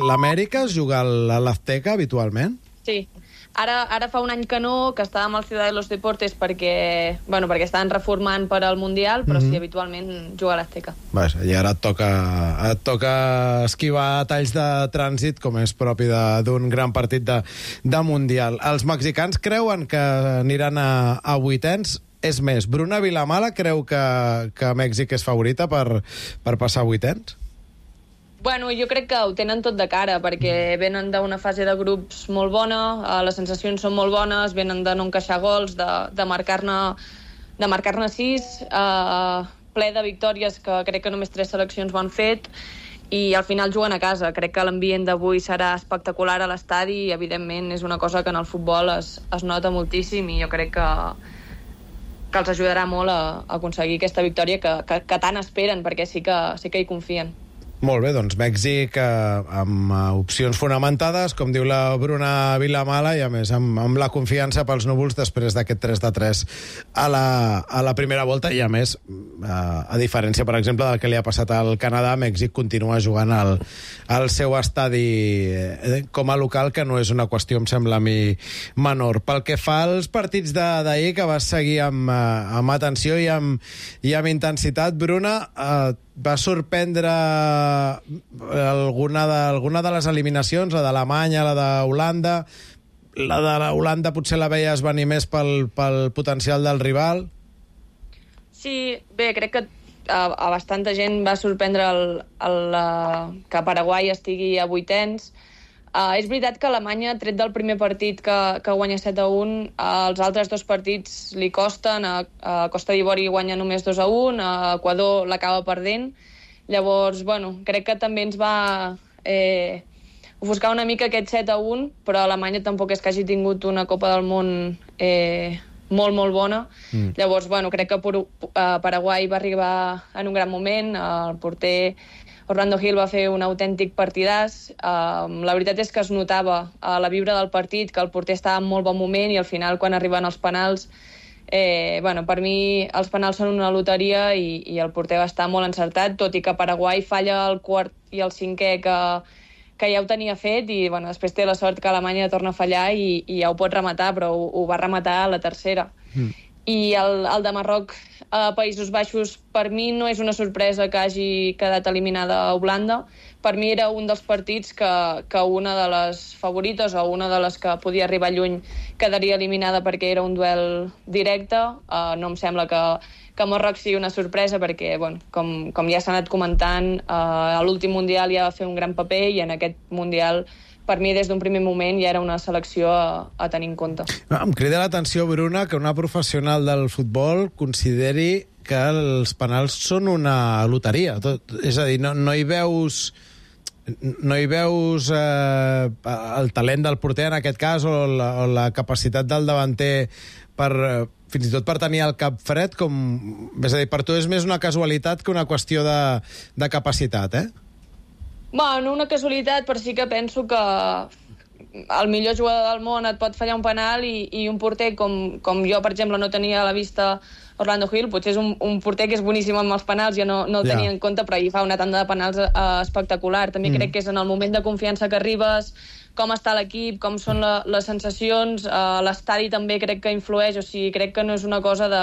l'Amèrica es juga a l'Azteca habitualment? Sí. Ara fa un any que no, que estàvem al Ciudad de los Deportes perquè estaven reformant per al Mundial, però sí, habitualment juga a l'Azteca. I ara et toca esquivar talls de trànsit, com és propi d'un gran partit de Mundial. Els mexicans creuen que aniran a vuitens. És més, Bruna Vilamala creu que Mèxic és favorita per passar a vuitens? Bueno, jo crec que ho tenen tot de cara, perquè venen d'una fase de grups molt bona, les sensacions són molt bones, venen de no encaixar gols, de marcar-ne 6, ple de victòries que crec que només 3 seleccions ho han fet, i al final juguen a casa. Crec que l'ambient d'avui serà espectacular a l'estadi i, evidentment, és una cosa que en el futbol es nota moltíssim i jo crec que els ajudarà molt a aconseguir aquesta victòria que tant esperen, perquè sí que hi confien. Molt bé, doncs Mèxic amb opcions fonamentades, com diu la Bruna Vilamala, i a més amb la confiança pels núvols després d'aquest 3-3 a la primera volta, i a més, a diferència, per exemple, del que li ha passat al Canadà, Mèxic continua jugant al seu estadi com a local, que no és una qüestió, em sembla a mi, menor. Pel que fa als partits d'ahir, que vas seguir amb atenció i amb intensitat, Bruna, va sorprendre alguna de les eliminacions, la d'Alemanya, la d'Holanda? La d'Holanda potser la veies venir més pel potencial del rival? Sí, bé, crec que a bastanta gent va sorprendre que Paraguai estigui a vuitens. És veritat que Alemanya, tret del primer partit que guanya 7-1, els altres 2 partits li costen. A Costa d'Ivori guanya només 2-1, a Equador l'acaba perdent. Llavors, crec que també ens va ofuscar una mica aquest 7-1, però Alemanya tampoc és que hagi tingut una Copa del Món molt, molt bona. Llavors, crec que Paraguai va arribar en un gran moment. El porter Orlando Gil va fer un autèntic partidàs. La veritat és que es notava a la vibra del partit que el porter estava en molt bon moment i al final, quan arriben els penals, per mi els penals són una loteria i el porter va estar molt encertat, tot i que Paraguai falla el quart i el cinquè que ja ho tenia fet i després té la sort que Alemanya torna a fallar i ja ho pot rematar, però ho va rematar a la tercera. I el de Marroc a Països Baixos, per mi no és una sorpresa que hagi quedat eliminada a Holanda. Per mi era un dels partits que una de les favorites o una de les que podia arribar lluny quedaria eliminada perquè era un duel directe. No em sembla que Marroc sigui una sorpresa perquè, com ja s'ha anat comentant, a l'últim Mundial ja va fer un gran paper i en aquest Mundial, per mi, des d'un primer moment, ja era una selecció a tenir en compte. Em crida l'atenció, Bruna, que una professional del futbol consideri que els penals són una loteria. És a dir, no hi veus el talent del porter, en aquest cas, o la capacitat del davanter fins i tot per tenir el cap fred, és a dir, per tu és més una casualitat que una qüestió de capacitat, Una casualitat, però sí que penso que el millor jugador del món et pot fallar un penal i un porter com jo, per exemple, no tenia a la vista Orlando Gil, potser és un porter que és boníssim amb els penals, jo no el tenia en compte, però ahir fa una tanda de penals espectacular. També crec que és en el moment de confiança que arribes, com està l'equip, com són les sensacions, l'estadi també crec que influeix, o sigui, crec que no és una cosa de...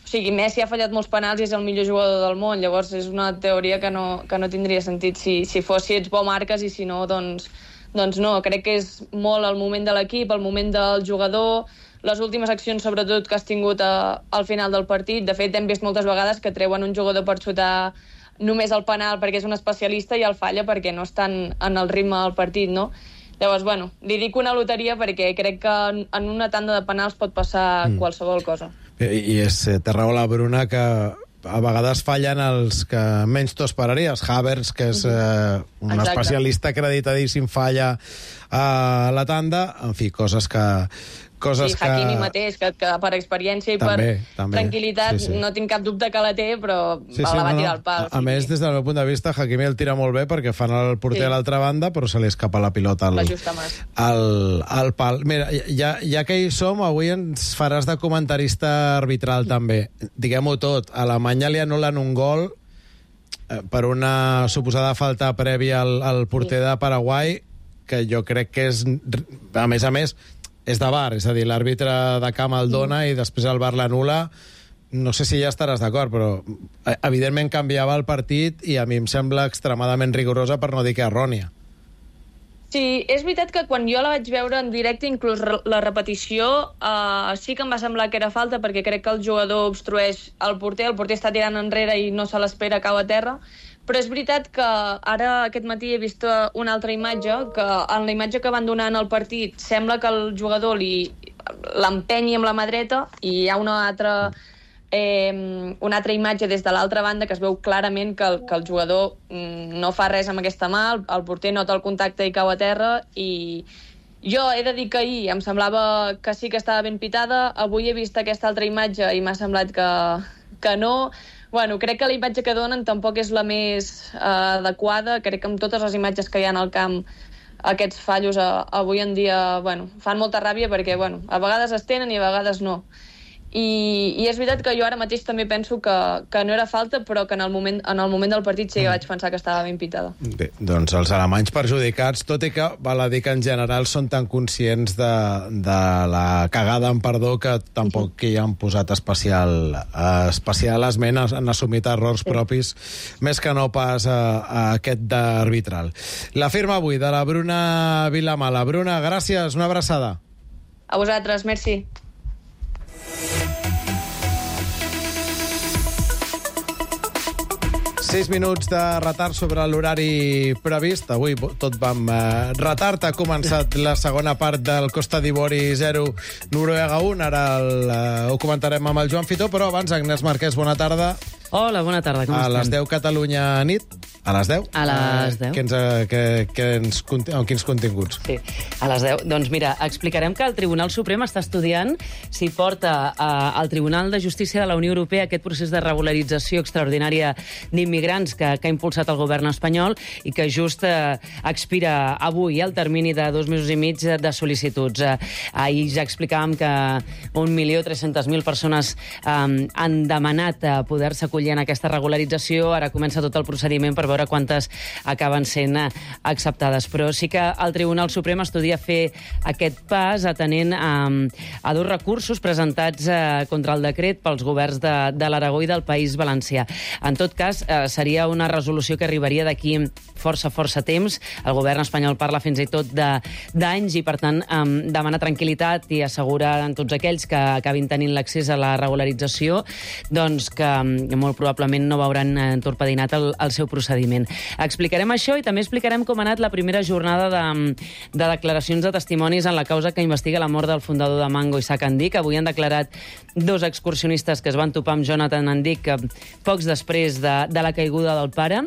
O sigui, Messi ha fallat molts penals i és el millor jugador del món, llavors és una teoria que no tindria sentit. Si ets bo marques i si no, doncs no. Crec que és molt el moment de l'equip, el moment del jugador, les últimes accions sobretot que has tingut al final del partit. De fet, hem vist moltes vegades que treuen un jugador per xutar només el penal perquè és un especialista i el falla perquè no estan en el ritme del partit, no? Llavors, li dic una loteria perquè crec que en una tanda de penals pot passar qualsevol cosa. I té raó la Bruna que a vegades fallen els que menys t'ho esperaries. Havertz, que és un especialista acreditadíssim, falla a la tanda. En fi, coses que... Hakimi mateix, que per experiència i per tranquil·litat no tinc cap dubte que la té, però la va tirar al pal. A més, des del meu punt de vista, Hakimi el tira molt bé perquè fan el porter a l'altra banda, però se li escapa la pilota al pal. Mira, ja que hi som, avui ens faràs de comentarista arbitral també. Diguem-ho tot, a Alemanya li anulen un gol per una suposada falta prèvia al porter de Paraguai, que jo crec que és, a més, és de VAR, és a dir, l'àrbitre de camp el dona i després el VAR l'anul·la. No sé si ja estaràs d'acord, però evidentment canviava el partit i a mi em sembla extremadament rigorosa, per no dir que errònia. Sí, és veritat que quan jo la vaig veure en directe, inclús la repetició, sí que em va semblar que era falta, perquè crec que el jugador obstrueix el porter està tirant enrere i no se l'espera, cau a terra, però és veritat que ara aquest matí he vist una altra imatge, que en la imatge que van donar en el partit sembla que el jugador l'empenyi amb la mà dreta i hi ha una altra imatge des de l'altra banda que es veu clarament que el jugador no fa res amb aquesta mà, el porter nota el contacte i cau a terra, i jo he de dir que ahir em semblava que sí que estava ben pitada, avui he vist aquesta altra imatge i m'ha semblat que no. Bueno, crec que la imatge que donen tampoc és la més adequada, crec que amb totes les imatges que hi ha al camp aquests fallos avui en dia fan molta ràbia perquè a vegades es tenen i a vegades no. I és veritat que jo ara mateix també penso que no era falta, però que en el moment del partit sí que vaig pensar que estava ben pitada. Bé, doncs els alemanys perjudicats, tot i que val a dir que en general són tan conscients de la cagada en perdó que tampoc hi han posat especial esment, han assumit errors propis, més que no pas a aquest d'arbitral. La firma avui de la Bruna Vilamala. Bruna, gràcies, una abraçada. A vosaltres, merci. Sis minuts de retard sobre l'horari previst. Avui tot vam retard. Ha començat la segona part del Costa d'Ivori 0, Noruega 1. Ara ho comentarem amb el Joan Fitó, però abans, Agnès Marquès, bona tarda. Hola, bona tarda, com estem? A les 10 Catalunya nit. A les 10? A les 10. Amb quins continguts? Sí, a les 10. Doncs mira, explicarem que el Tribunal Suprem està estudiant si porta al Tribunal de Justícia de la Unió Europea aquest procés de regularització extraordinària d'immigrants que ha impulsat el govern espanyol i que just expira avui el termini de 2 mesos i mig de sol·licituds. Ahir ja explicàvem que 1.300.000 persones han demanat poder-se acollir en aquesta regularització. Ara comença tot el procediment per veure quantes acaben sent acceptades. Però sí que el Tribunal Suprem estudia fer aquest pas atenent a dos recursos presentats contra el decret pels governs de l'Aragó i del País Valencià. En tot cas, seria una resolució que arribaria d'aquí força temps. El govern espanyol parla fins i tot d'anys i, per tant, demana tranquil·litat i assegura a tots aquells que acabin tenint l'accés a la regularització doncs que molt probablement no veuran entorpedinat el seu procediment. Explicarem això i també explicarem com ha anat la primera jornada de declaracions de testimonis en la causa que investiga la mort del fundador de Mango, Isaac Andic. Avui han declarat dos excursionistes que es van topar amb Jonathan Andic pocs després de la caiguda del pare.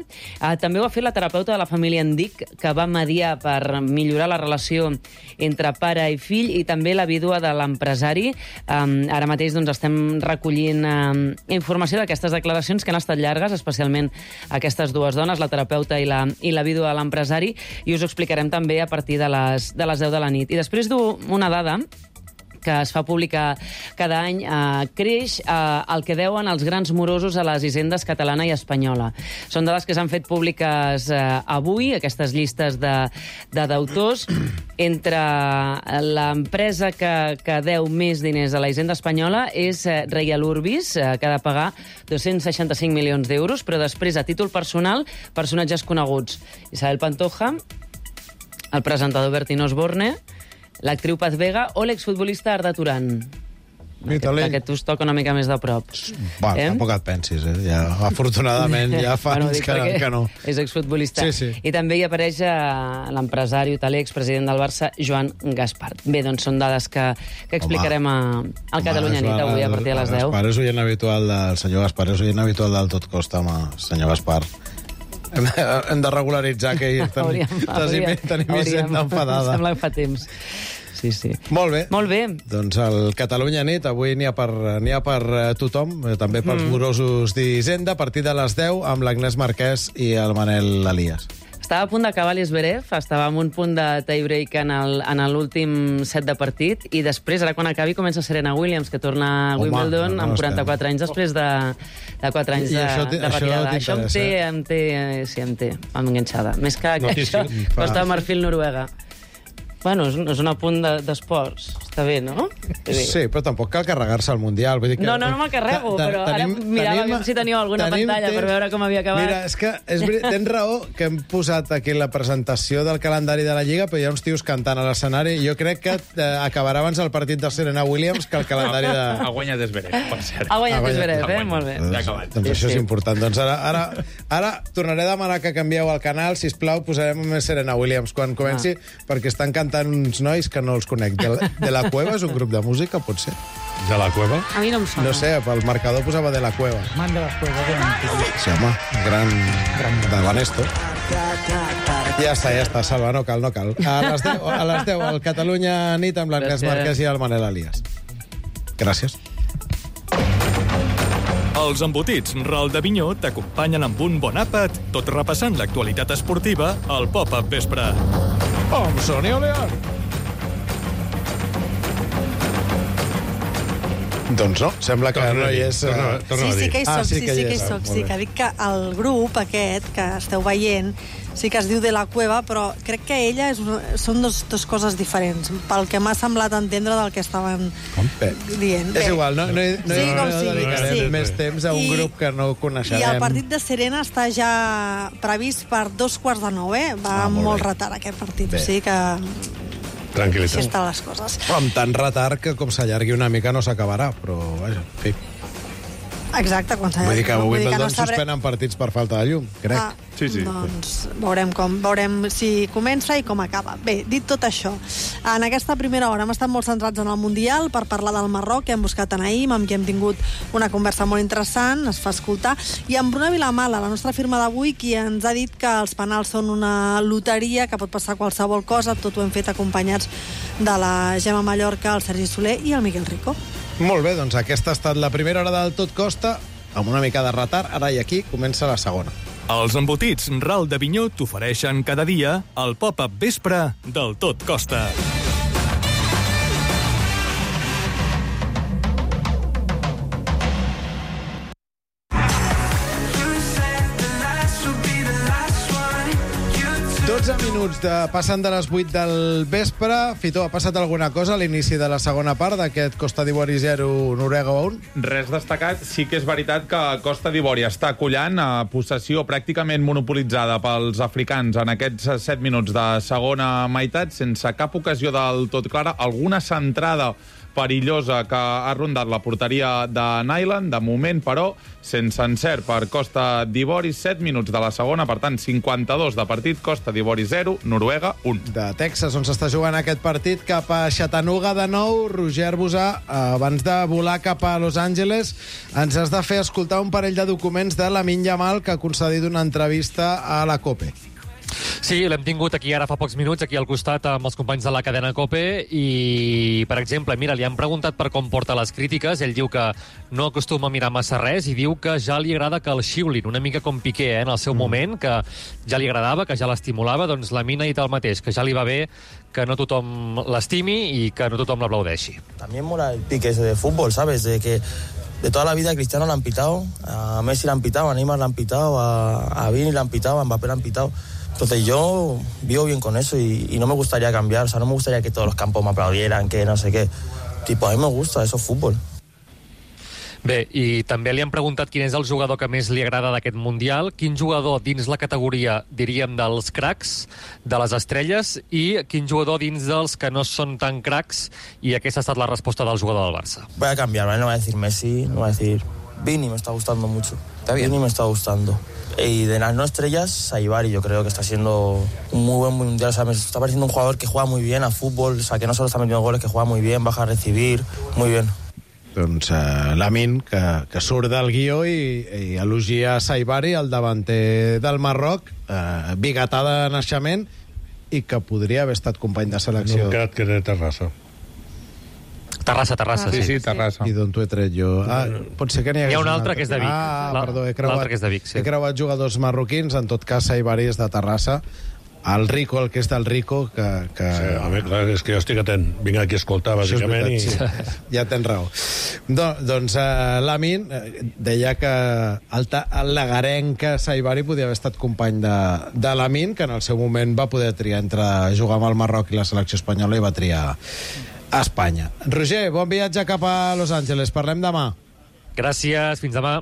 També ho ha fet la terapeuta de la família Andic, que va mediar per millorar la relació entre pare i fill, i també la vídua de l'empresari. Ara mateix doncs, estem recollint informació d'aquestes declaracions que han estat llargues, especialment aquestes dues dones, la terapeuta i la vídua de l'empresari, i us ho explicarem també a partir de les 10 de la nit. I després d'una dada que es fa pública cada any, creix el que deuen els grans morosos a les hisendes catalana i espanyola. Són dades que s'han fet públiques avui, aquestes llistes de deutors. Entre l'empresa que deu més diners a la hisenda espanyola és Reial Urbis, que ha de pagar 265 milions d'euros, però després, a títol personal, personatges coneguts. Isabel Pantoja, el presentador Bertín Osborne, l'actriu Paz Vega o l'exfutbolista Arda Turan. Aquest us toca una mica més de prop. Tampoc et pensis, ja, afortunadament ja fa anys que no. És exfutbolista. Sí. I també hi apareix l'empresari hoteler, expresident del Barça, Joan Gaspart. Bé, doncs són dades que explicarem al Catalunya Nit avui a partir de les 10. Gaspar és oient habitual del senyor Gaspar, és oient habitual del Tot Costa, home, senyor Gaspar. Hem de regularitzar que tenim hisenda enfadada. Sembla que fa temps. Sí. Molt bé. Molt bé. Doncs el Catalunya Nit avui n'hi ha per tothom, també pels morosos d'Hisenda, a partir de les 10 amb l'Agnès Marquès i el Manel Elias. Estava a punt d'acabar l'Esberev, estava en un punt de tie-break en l'últim set de partit, i després, ara quan acabi, comença Serena Williams, que torna a Wimbledon amb 44 anys després de 4 anys de retirada. Això em té enganxada. Més que això, Costa de Marfil, Noruega. Bueno, és un apunt d'esports. Està bé, no? Sí, però tampoc cal carregar-se al Mundial. Vull dir que... No me'l carrego, però ara mirava si teníeu alguna pantalla per veure com havia acabat. Mira, és que tens raó que hem posat aquí la presentació del calendari de la Lliga, però hi ha uns tios cantant a l'escenari. Jo crec que acabarà abans el partit de Serena Williams que el calendari de... Ha guanyat Zverev, per cert. Ha guanyat Zverev, molt bé. Ja ha acabat. Doncs això és important. Doncs ara tornaré a demanar que canvieu el canal, sisplau, posarem més Serena Williams quan comenci, perquè estan cantant uns nois que no els conec. De la Cueva és un grup de música, pot ser? De la Cueva? A mi no em sona. No sé, pel marcador posava De la Cueva. Man de la Cueva. Sí, home, gran de l'Anesto. Ja està, Salva, no cal. A les 10, al Catalunya nit amb l'Ernest Marquès i el Manel Elias. Gràcies. Els embotits Ral de Vinyó t'acompanyen amb un bon àpat, tot repassant l'actualitat esportiva al Pop-Up Vespre. Amb Sonia León. Doncs no, sembla que no hi és... Sí que hi soc, sí que dic que el grup aquest que esteu veient sí que es diu De la Cueva, però crec que ella són dues coses diferents, pel que m'ha semblat entendre del que estaven dient. És igual, no dedicarem més temps a un grup que no coneixerem. I el partit de Serena està ja previst per 2:45, va amb molt retard aquest partit, o sigui que... Tranquil·litat. Així estan les coses. Amb tant retard que com s'allargui una mica no s'acabarà, però vaja, en fi. Exacte, quan s'allargui. Vull dir que a Wimbledon suspenen partits per falta de llum, crec. Sí. Doncs veurem si comença i com acaba. Bé, dit tot això, en aquesta primera hora hem estat molt centrats en el Mundial per parlar del Marroc, que hem buscat a Naïm, amb qui hem tingut una conversa molt interessant, es fa escoltar, i amb Bruna Vilamala, la nostra firma d'avui, qui ens ha dit que els penals són una loteria, que pot passar qualsevol cosa, tot ho hem fet acompanyats de la Gemma Mallorca, el Sergi Soler i el Miquel Rico. Molt bé, doncs aquesta ha estat la primera hora del Tot Costa, amb una mica de retard, ara i aquí comença la segona. Els embotits Ral de Vinyó t'ofereixen cada dia el Pop-Up Vespre del Tot Costa. Passant de les 8 del vespre. Fito, ha passat alguna cosa a l'inici de la segona part d'aquest Costa d'Ivori 0, Noruega 1? Res destacat. Sí que és veritat que Costa d'Ivori està collant a possessió pràcticament monopolitzada pels africans en aquests 7 minuts de segona meitat, sense cap ocasió del tot clara. Alguna centrada perillosa que ha rondat la porteria de Nyland, de moment, però, sense encert per Costa d'Ivori. 7 minuts de la segona, per tant, 52 de partit, Costa d'Ivori 0, Noruega 1. De Texas, on s'està jugant aquest partit, cap a Chattanooga de nou. Roger Bosà, abans de volar cap a Los Angeles, ens has de fer escoltar un parell de documents de Lamine Yamal, que ha concedit una entrevista a la COPE. Sí, l'hem tingut aquí ara fa pocs minuts, aquí al costat amb els companys de la cadena COPE, i, per exemple, mira, li han preguntat per com porta les crítiques. Ell diu que no acostuma a mirar massa res i diu que ja li agrada que el xiulin, una mica com Piqué, en el seu moment, que ja li agradava, que ja l'estimulava. Doncs Lamine ha dit el mateix, que ja li va bé que no tothom l'estimi i que no tothom l'aplaudeixi. También mola el pique ese de fútbol, ¿sabes? De que de toda la vida a Cristiano le han pitado, a Messi le han pitado, a Neymar le han pitado, a Vini le han pitado, a Mbappé le han pitado. Entonces yo vivo bien con eso y no me gustaría cambiar, o sea, no me gustaría que todos los campos me aplaudieran, que no sé qué. Tipo, a mí me gusta, eso es fútbol. Bé, i també li han preguntat quin és el jugador que més li agrada d'aquest Mundial, quin jugador dins la categoria, diríem, dels cracs, de les estrelles, i quin jugador dins dels que no són tan cracs, i aquesta ha estat la resposta del jugador del Barça. Voy a cambiar, ¿vale? No voy a decir Messi, no voy a decir Vini, me está gustando mucho. Vini me está gustando. Y de las no estrellas, Saibari, yo creo que está siendo un muy buen mundial. O sea, me está pareciendo un jugador que juega muy bien a fútbol, o sea, que no solo está metiendo goles, que juega muy bien, baja a recibir, muy bien. Doncs Lamine, que surt del guió i elogia Saibari, el davanter del Marroc, biguetà de naixement, i que podria haver estat company de selecció. No, que era de Terrassa. Terrassa, Sí, Terrassa. I d'on t'ho he tret jo? Pot ser que n'hi hagués Hi ha un altre que és de Vic. Perdó, L'altre que és de Vic, sí. He creuat jugadors marroquins, en tot cas Saibari és de Terrassa. El Rico, el que és del Rico, que... Sí, home, clar, és que jo estic atent. Vinc aquí a escoltar, bàsicament, veritat, sí. Ja tens raó. Doncs l'Amin deia que el lagarenc Saibari podia haver estat company de l'Amin, que en el seu moment va poder triar entre jugar amb el Marroc i la selecció espanyola i va triar a Espanya. Roger, bon viatge cap a Los Angeles. Parlem demà. Gràcies, fins demà.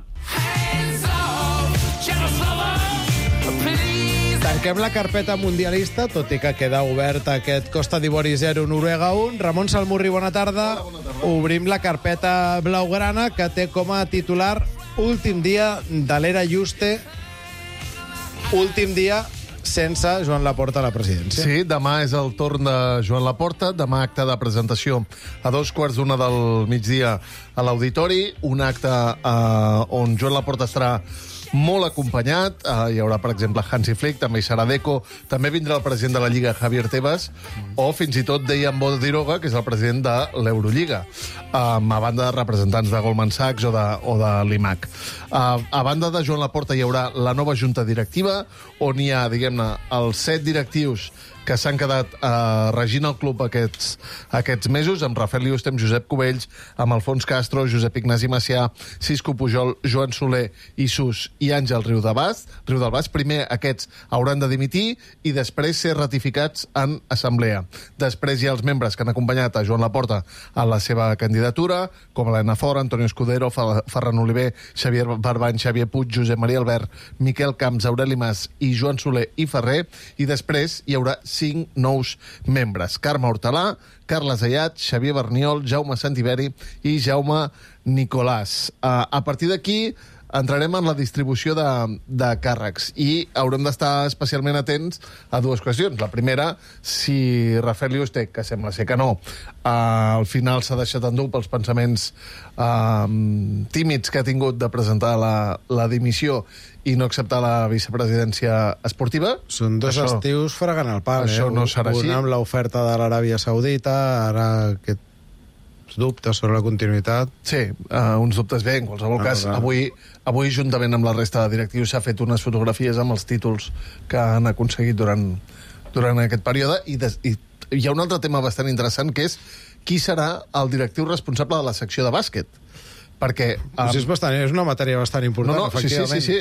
Tanquem la carpeta mundialista, tot i que queda obert aquest Costa d'Ivori 0, Noruega 1. Ramon Salmurri, bona tarda. Obrim la carpeta blaugrana, que té com a titular últim dia de l'era Juste, últim dia sense Joan Laporta a la presidència. Sí, demà és el torn de Joan Laporta. Demà acte de presentació a 2:15 del migdia a l'Auditori. Un acte on Joan Laporta estarà molt acompanyat. Hi haurà, per exemple, Hansi Flick, també hi serà Deco, també vindrà el president de la Lliga, Javier Tebas, o fins i tot Dejan Bodiroga, que és el president de l'Eurolliga, a banda de representants de Goldman Sachs o de l'IMAC. A banda de Joan Laporta hi haurà la nova junta directiva, on hi ha, diguem-ne, els 7 directius que s'han quedat regint el club aquests mesos, amb Rafael Yuste, amb Josep Cubells, amb Alfons Castro, Josep Ignasi Macià, Cisco Pujol, Joan Soler, Isus i Àngel Riudelbas. Primer aquests hauran de dimitir i després ser ratificats en assemblea. Després hi ha els membres que han acompanyat a Joan Laporta a la seva candidatura, com Helena Fora, Antonio Escudero, Ferran Oliver, Xavier Barbany, Xavier Puig, Josep Maria Albert, Miquel Camps, Aureli Mas i Joan Soler i Ferrer, i després hi haurà 5 nous membres. Carme Hortalà, Carles Ayat, Xavier Berniol, Jaume Santiberi i Jaume Nicolàs. A partir d'aquí entrarem en la distribució de càrrecs i haurem d'estar especialment atents a 2 qüestions. La primera, si Rafael Yuste, que sembla ser que no, al final s'ha deixat endur pels pensaments tímids que ha tingut de presentar la dimissió i no acceptar la vicepresidència esportiva. Són 2 estius fregant el pal. Això no serà així. Un amb l'oferta de l'Aràbia Saudita, ara aquest dubtes sobre la continuïtat. Sí, uns dubtes bé. En qualsevol cas, avui, juntament amb la resta de directius, s'ha fet unes fotografies amb els títols que han aconseguit durant aquest període. I hi ha un altre tema bastant interessant, que és qui serà el directiu responsable de la secció de bàsquet. Perquè... és una matèria bastant important, efectivament. Sí.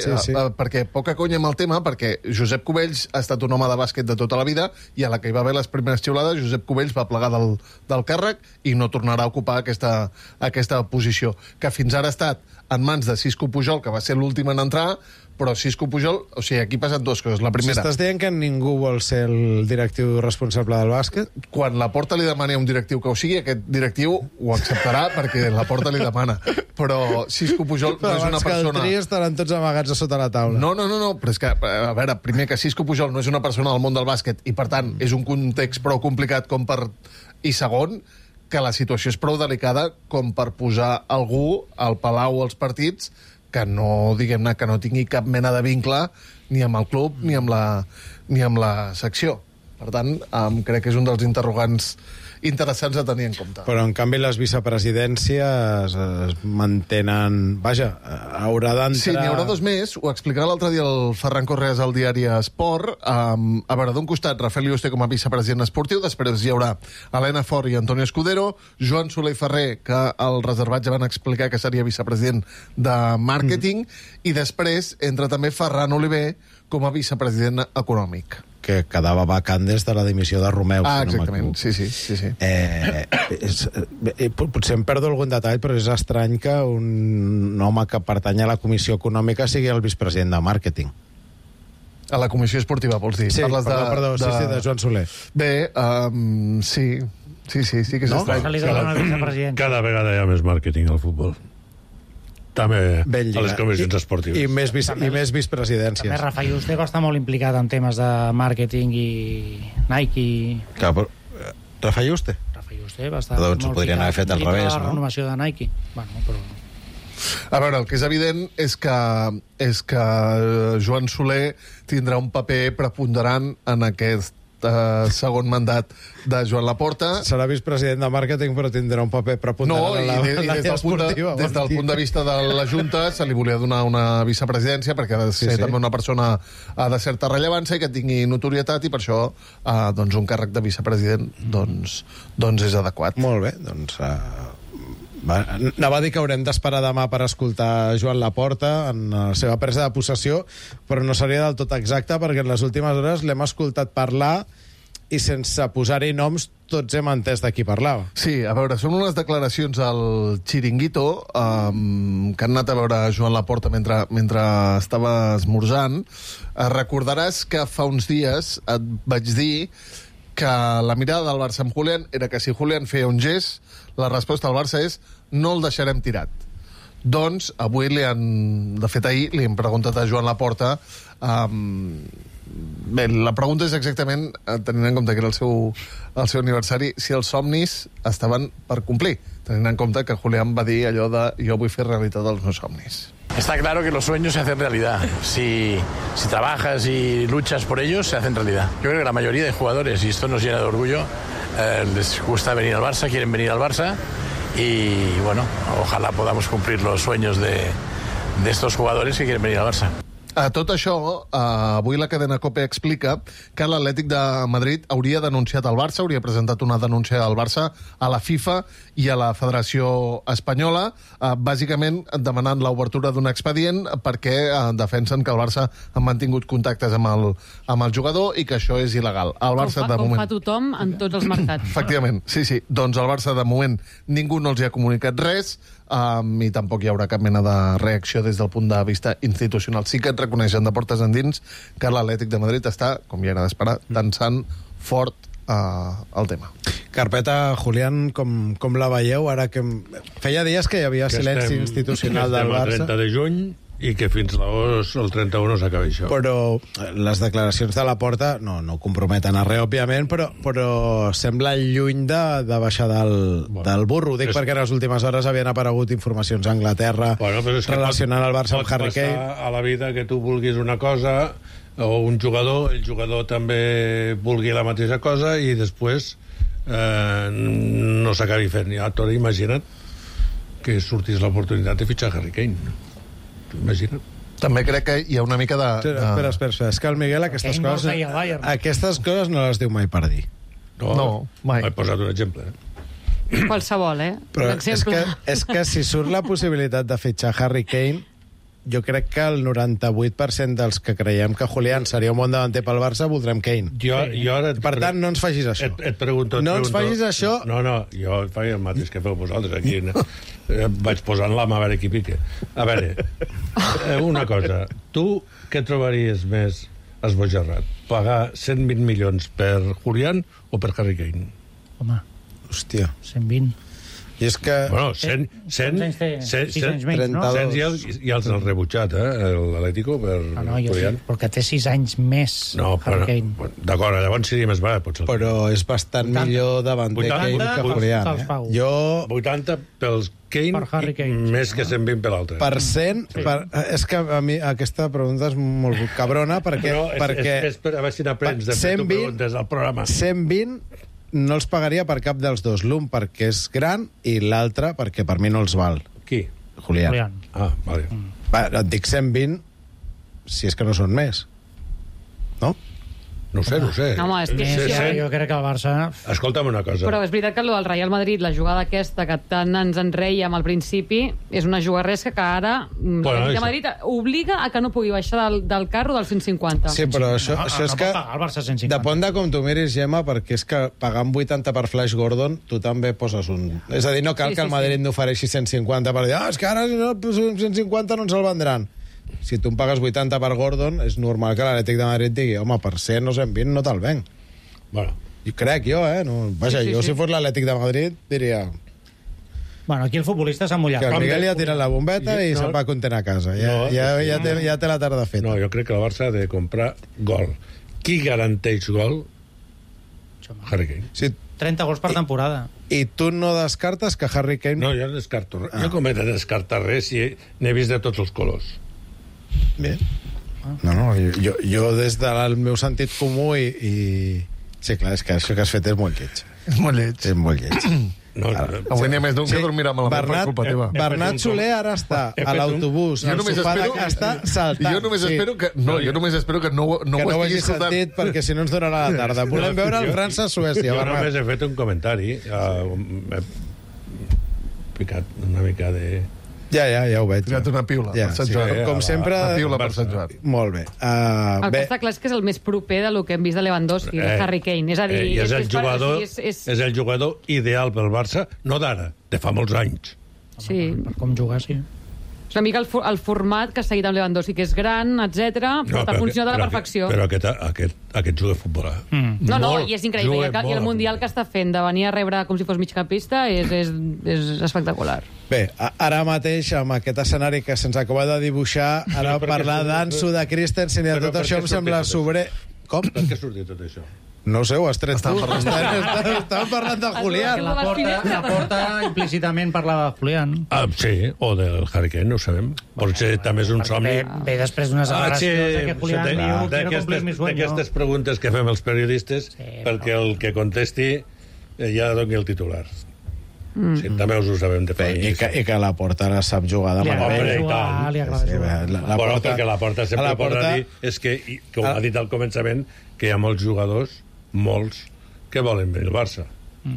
Perquè poca conya amb el tema, perquè Josep Cubells ha estat un home de bàsquet de tota la vida i a la que hi va haver les primeres xiulades, Josep Cubells va plegar del càrrec i no tornarà a ocupar aquesta posició, que fins ara ha estat en mans de Cisco Pujol, que va ser l'últim en entrar, però Cisco Pujol... O sigui, aquí passen 2 coses. La primera... Si estàs dient que ningú vol ser el directiu responsable del bàsquet? Quan Laporta li demani a un directiu que ho sigui, aquest directiu ho acceptarà perquè Laporta li demana. Però Cisco Pujol no és una persona... Abans que el tri estaran tots amagats a sota la taula. No, però és que, a veure, primer que Cisco Pujol no és una persona del món del bàsquet i, per tant, és un context prou complicat com per... I segon, que la situació és prou delicada com per posar algú al palau o als partits que no, diguem-ne, que no tingui cap mena de vincle ni amb el club ni amb la secció. Per tant, crec que és un dels interrogants interessants a tenir en compte. Però, en canvi, les vicepresidències es mantenen... Vaja, haurà d'entrar... Sí, n'hi haurà 2 més. Ho explicarà l'altre dia el Ferran Correas al diari Esport. A veure, d'un costat, Rafael Yuste com a vicepresident esportiu, després hi haurà Helena Fort i Antonio Escudero, Joan Soler i Ferrer, que al reservat ja van explicar que seria vicepresident de màrqueting, i després entra també Ferran Oliver com a vicepresident econòmic. Que quedava vacant des de la dimissió de Romeu. Exactament, sí. Potser em perdo algun detall, però és estrany que un home que pertany a la Comissió Econòmica sigui el vicepresident de màrqueting. A la Comissió Esportiva, vols dir? Sí, perdó, de Joan Soler. Bé, sí que és estrany. Cada vegada hi ha més màrqueting al futbol. També a les comissions esportives. I més vicepresidències. També Rafa Yuste va estar molt implicat en temes de màrqueting i Nike. Clar, però Rafa Yuste? Rafa Yuste va estar doncs ho podrien haver fet al revés, no? La renovació de Nike. Bueno, però... A veure, el que és evident és que Joan Soler tindrà un paper preponderant en aquest segon mandat de Joan Laporta. Serà vicepresident de màrqueting, però tindrà un paper preponderant en l'àrea esportiva. Des del punt de vista de la Junta se li volia donar una vicepresidència perquè ha de ser també una persona de certa rellevància i que tingui notorietat, i per això doncs un càrrec de vicepresident doncs és adequat. Molt bé, doncs... Anava a dir que haurem d'esperar demà per escoltar Joan Laporta en la seva presa de possessió, però no seria del tot exacte, perquè en les últimes hores l'hem escoltat parlar i sense posar-hi noms tots hem entès de qui parlava. Sí, a veure, són unes declaracions al Chiringuito que han anat a veure Joan Laporta mentre estava esmorzant. Recordaràs que fa uns dies et vaig dir que la mirada del Barça amb Julián era que si Julián feia un gest, la resposta del Barça és no el deixarem tirat. Doncs avui de fet ahir li hem preguntat a Joan Laporta, bé, la pregunta és exactament, tenint en compte que era el seu aniversari, si els somnis estaven per complir, tenint en compte que Julián va dir allò de jo vull fer realitat els meus somnis. Está claro que los sueños se hacen realidad. Si trabajas y luchas por ellos, se hacen realidad. Yo creo que la mayoría de jugadores, y esto nos llena de orgullo, les gusta venir al Barça, quieren venir al Barça, y bueno, ojalá podamos cumplir los sueños de estos jugadores que quieren venir al Barça. A tot això, avui la cadena COPE explica que l'Atlètic de Madrid hauria denunciat el Barça, hauria presentat una denúncia al Barça, a la FIFA i a la Federació Espanyola, bàsicament demanant l'obertura d'un expedient perquè defensen que el Barça ha mantingut contactes amb el jugador i que això és il·legal. El Barça, com fa tothom en tots els mercats. Efectivament, sí. Doncs el Barça, de moment, ningú no els hi ha comunicat res, i tampoc hi haurà cap mena de reacció des del punt de vista institucional. Sí que et reconeixen de portes endins que l'Atlètic de Madrid està, com ja era d'esperar, tensant fort el tema. Carpeta, Julián, com la veieu? Ara que feia dies que hi havia silenci institucional del Barça. El 30 de juny i que fins el 31 s'acaba això. Però les declaracions de Laporta no comprometen a res, òbviament, però sembla lluny de baixar del burro. Dic perquè en les últimes hores havien aparegut informacions a Anglaterra relacionant el Barça amb Harry Kane. Pot passar a la vida que tu vulguis una cosa o un jugador, el jugador també vulgui la mateixa cosa i després no s'acabi fent. Ja t'ho imagina't que sortís l'oportunitat de fitxar Harry Kane. Imagina't. També crec que hi ha una mica de... Espera. És que el Miguel aquestes coses no les diu mai per dir. No, mai. He posat un exemple. Qualsevol, Però és que si surt la possibilitat de fitxar Harry Kane, jo crec que el 98% dels que creiem que Julián seria un bon davanter pel Barça voldrem Kane. Per tant, no ens facis això. Et pregunto... No ens facis això... No, jo faig el mateix que feu vosaltres aquí. Vaig posant la mà a veure qui pique. A veure, una cosa. Tu què trobaries més esbojarrat? Pagar 120 milions per Julián o per Harry Kane? Home, hòstia, 120. I és que... Bueno, 100 ja els han rebutjat, l'Atlético, per Julián. Perquè té 6 anys més. No, d'acord, llavors seria més barat, potser. Però és bastant millor davanter Kane que Julián. 80 pels Kane, més que 120 per l'altre. Per 100, és que a mi aquesta pregunta és molt cabrona, perquè... És per a veure si n'aprens de fer tu preguntes al programa. 120 no els pagaria per cap dels dos. L'un perquè és gran i l'altre perquè per mi no els val. Qui? Julián. Ah, vale. Et dic 120 si és que no són més. No? No sé. No, home, és que jo crec que el Barça... Escolta'm una cosa. Però és veritat que el del Real Madrid, la jugada aquesta que tant ens enreiem al principi, és una jugarresca que ara el Madrid obliga a que no pugui baixar del carro del 150. Sí, però això és que... El Barça 150. Depèn de com tu miris, Gemma, perquè és que pagant 80 per Flash Gordon, tu també poses un... És a dir, no cal que el Madrid n'ofereixi 150 per dir, és que ara si no 150 no ens el vendran. Si tu em pagues 80 per Gordon, és normal que l'Atlètic de Madrid digui, home, per 100 o 120 no te'l venc. Bueno. I crec jo, Vaja, jo si fos l'Atlètic de Madrid diria... Bueno, aquí el futbolista s'ha mullat. Que el Miguel ja tira la bombeta i se'n va content a casa. Ja té la tarda feta. No, jo crec que el Barça ha de comprar gol. Qui garanteix gol? Harry Kane. Sí. 30 gols per temporada. I tu no descartes que Harry Kane... No, jo no descarto res. Jo com he de descartar res si n'he vist de tots els colors. Bé. No, jo des del meu sentit comú i Sí, clar, és que això que has fet és molt lleig. És molt lleig. És molt lleig. Avui n'hi ha més d'un que dormirà malament per culpa teva. Bernat Soler ara està a l'autobús, al sofà de casa, saltant. Jo només espero que no ho hagi sentit, perquè si no ens donarà la tarda. Volem veure el França-Suècia. Jo només he fet un comentari. He picat una mica de... Ja ho veig. Ficat una piula per Sant Joan. Com sempre... Una piula per Sant Joan. Molt bé. El que està clar és que és el més proper de lo que hem vist de Lewandowski, de Harry Kane. És a dir... És el jugador ideal pel Barça, no d'ara, de fa molts anys. Sí. Per com jugar, sí. És una mica el format que ha seguit amb Lewandowski, que és gran, etc, però ha funcionat a la perfecció. Però aquest juga a futbol. No, i és increïble. I el Mundial que està fent de venir a rebre com si fos migcampista és espectacular. Bé, ara mateix, amb aquest escenari que se'ns acaba de dibuixar, ara parlar d'Ansu, de Christensen i de tot això em sembla sobre... Com? Per què ha sortit tot això? No sé, ho has tret tu. Estàvem parlant de Julián. La porta implícitament parlava de Julián. Sí, o del Harry Kane, no ho sabem. Potser també és un somni. Ve després d'unes declaracions que Julián diu quiero cumplir mi sueño. D'aquestes preguntes que fem els periodistes, perquè el que contesti ja doni el titular. Sí, també us ho sabem de fa. I que la Porta ara sap jugar de meravella. Li agrada jugar. Però perquè la Porta sempre podrà dir és que, com ha dit al començament, que hi ha molts jugadors, molts, que volen venir al Barça.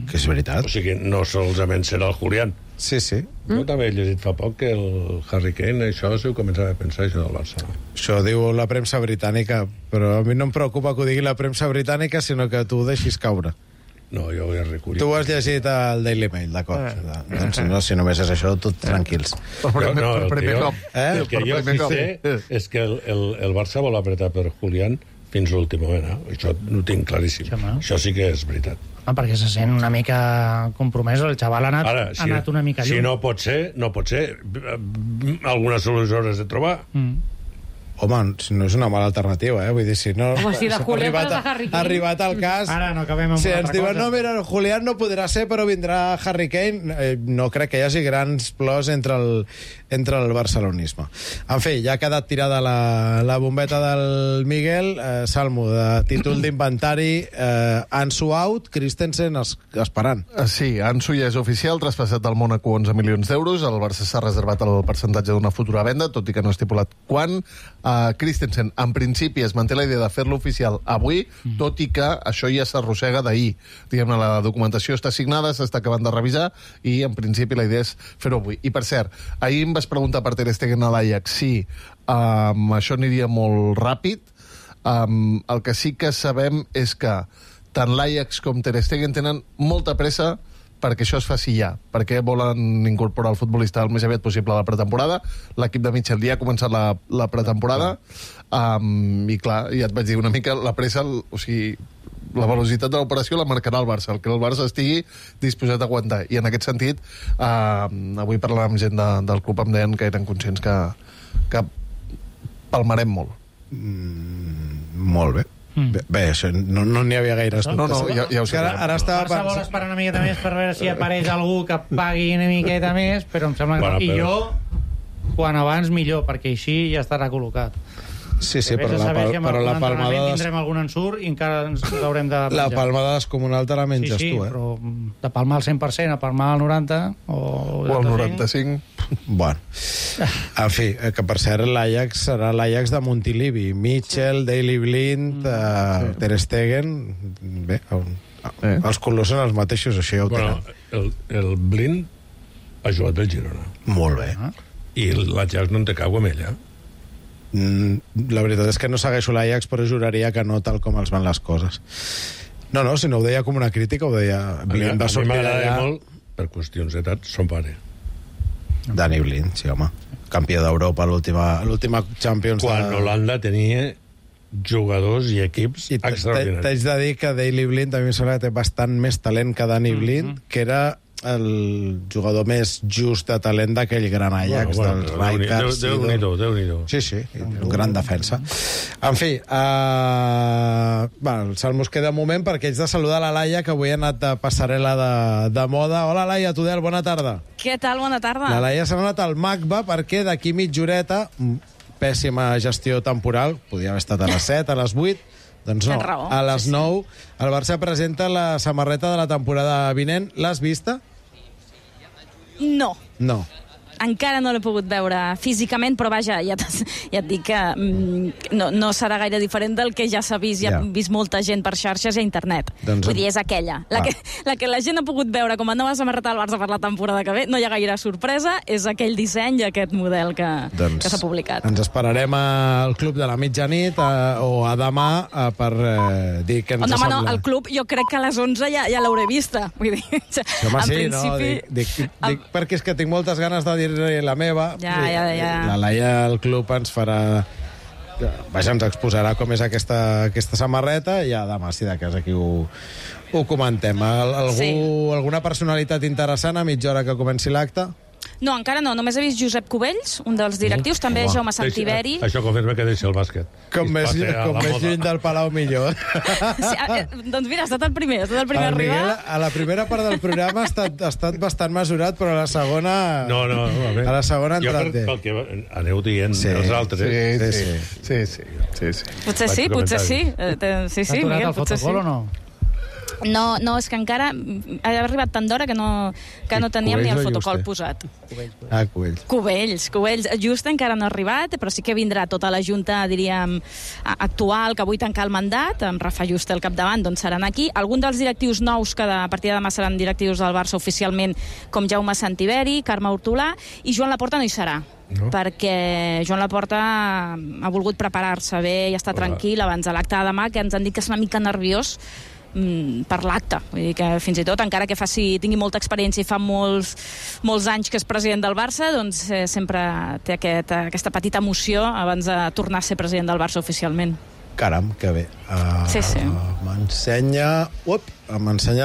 Que és veritat. O sigui, no solament serà el Julián. Sí. Jo també he llegit fa poc que el Harry Kane, això ho començava a pensar, això del Barça. Això diu la premsa britànica, però a mi no em preocupa que ho digui la premsa britànica, sinó que tu ho deixis caure. No, jo ho he recollit. Tu ho has llegit al Daily Mail, d'acord. Doncs no, si només és això, tot tranquils. El que jo sí sé és que el Barça vol apretar per Julián fins l'últim moment. Això ho tinc claríssim. Això sí que és veritat. Perquè se sent una mica compromès, el xaval ha anat una mica lluny. Si no pot ser, alguna solució has de trobar. Home, no és una mala alternativa, Vull dir, si no... Home, si de Julián passa Harry Kane... Ha arribat el cas... Ara no acabem amb si una ens altra diuen, cosa. no, mira, Julián no podrà ser, però vindrà Harry Kane, no crec que hi hagi grans plors entre el barcelonisme. En fi, ja ha quedat tirada la bombeta del Miguel, Salmo, de títol d'inventari, Ansu out, Christensen esperant. Sí, Ansu ja és oficial, traspassat al Mónaco 11 milions d'euros, el Barça s'ha reservat el percentatge d'una futura venda, tot i que no ha estipulat quan. Christensen, en principi, es manté la idea de fer-lo oficial avui, tot i que això ja s'arrossega d'ahir. Diguem-ne, la documentació està signada, s'està acabant de revisar, i en principi la idea és fer-ho avui. I per cert, ahir em vas preguntar per Ter Stegen a l'Ajax si això aniria molt ràpid. El que sí que sabem és que tant l'Ajax com Ter Stegen tenen molta pressa perquè això es faci ja, perquè volen incorporar el futbolista el més aviat possible a la pretemporada. L'equip de Michel ja ha començat la pretemporada, i clar, ja et vaig dir una mica la pressa, o sigui, la velocitat de l'operació la marcarà el Barça, el que el Barça estigui disposat a aguantar. I en aquest sentit, avui parlant amb gent del club em deien que eren conscients que palmarem molt. Molt bé. Bé, això no n'hi havia gaire No, ja ho sé. Ara estava Barça vol esperar una miqueta més per veure si apareix algú que pagui una miqueta més, però em sembla que... I jo, quan abans millor, perquè així ja estarà col·locat. Sí, però la palmada... Tindrem algun ensurt i encara ens l'haurem de penjar. La palmada descomunal te la menges tu, però de palmar al 100% a palmar al 90% o al 95%. Bueno, en fi, que per cert l'Ajax serà l'Ajax de Montilivi. Mitchell, Daley Blind, Ter Stegen... Bé, els colors són els mateixos, això ja ho tenen. El Blind ha jugat pel Girona. Molt bé. I l'Ajax no en té cau amb ella. La veritat és que no segueixo l'Ajax, però juraria que no tal com els van les coses. No, si no ho deia com una crítica, ho deia... A mi m'agrada molt, per qüestions d'edat, son pare. Dani Blind, sí, home. Campió d'Europa l'última Champions. Quan Holanda tenia jugadors i equips extraordinaris. T'haig de dir que Daley Blind a mi em sembla que té bastant més talent que Dani Blind, que era el jugador més just de talent d'aquell gran Ajax, dels Rijkaard. Déu-n'hi-do. Sí, un gran defensa. En fi, el Salmo es queda un moment perquè haig de saludar la Laia, que avui ha anat de passarel·la de moda. Hola, Laia Tudel, bona tarda. Què tal, bona tarda? La Laia s'ha anat al MACBA perquè d'aquí mitja horeta, pèssima gestió temporal, podia haver estat a les 7, a les 8, Doncs no, a les 9 el Barça presenta la samarreta de la temporada vinent. L'has vista? No. No. Encara no l'he pogut veure físicament, però vaja, ja et dic que no serà gaire diferent del que ja s'ha vist, ja ha vist molta gent per xarxes i a internet. Vull dir, és aquella. La que la gent ha pogut veure com a nova samarreta del Barça per la temporada que ve, no hi ha gaire sorpresa, és aquell disseny i aquest model que s'ha publicat. Ens esperarem al Club de la mitjanit o a demà per dir què ens sembla. Home, no, al Club jo crec que a les 11 ja l'hauré vista. Vull dir, home, sí, no, dic perquè és que tinc moltes ganes de dir la meva. La Laia al Club ens farà... Vaja, ens exposarà com és aquesta samarreta i ja demà, si de cas, aquí ho comentem. Alguna personalitat interessant a mitja hora que comenci l'acte? No, encara no. Només he vist Josep Cubells, un dels directius, també Jaume Santiberi. Això confirma que deixa el bàsquet. Com més lluny del Palau, millor. Doncs mira, ha estat el primer a arribar. A la primera part del programa ha estat bastant mesurat, però a la segona... No, a la segona ha entrat bé. Jo pel que aneu dient els altres... Sí. Potser sí. Sí, Miguel, potser sí. O no? No, és que encara ha arribat tant d'hora que no teníem ni el fotocol posat. Cubells. Just encara no ha arribat, però sí que vindrà tota la junta, diríem, actual, que avui tanca el mandat, amb Rafa Juste al capdavant, doncs seran aquí. Algun dels directius nous que a partir de demà seran directius del Barça oficialment, com Jaume Santiberi, Carme Hortolà, i Joan Laporta no hi serà. Perquè Joan Laporta ha volgut preparar-se bé i estar tranquil abans de l'acte de demà, que ens han dit que és una mica nerviós per l'acte. Vull dir que fins i tot, encara que tingui molta experiència i fa molts anys que és president del Barça, doncs sempre té aquesta petita emoció abans de tornar a ser president del Barça oficialment. Caram, que bé. Sí. M'ensenya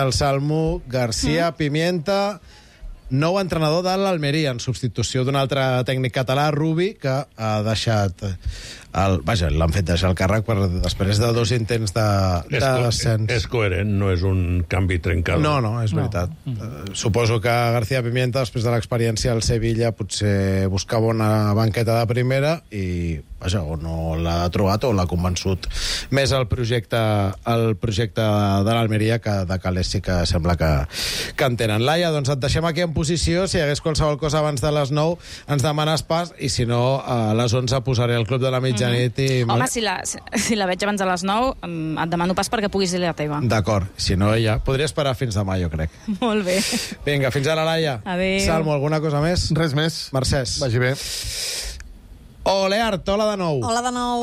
el Salmo García Pimienta, nou entrenador de l'Almeria, en substitució d'un altre tècnic català, Rubi, que ha deixat... l'han fet deixar el càrrec després de 2 intents de descens. És coherent, no és un canvi trencat. No, és veritat. Suposo que García Pimienta, després de l'experiència al Sevilla, potser buscava una banqueta de primera i, vaja, o no l'ha trobat o l'ha convençut més el projecte de l'Almeria, que de calés sí que sembla que en tenen. Laia, doncs et deixem aquí en posició. Si hi hagués qualsevol cosa abans de les 9, ens demanes pas, i si no, a les 11 posaré el Club de la mitjanit. Home, si la veig abans de les 9, et demano pas perquè puguis dir la teva. D'acord, si no, ja podria esperar fins demà, jo crec. Molt bé. Vinga, fins ara, Laia. Adéu. Salmo, alguna cosa més? Res més. Mercès. Vagi bé. Oleart, hola de nou. Hola de nou.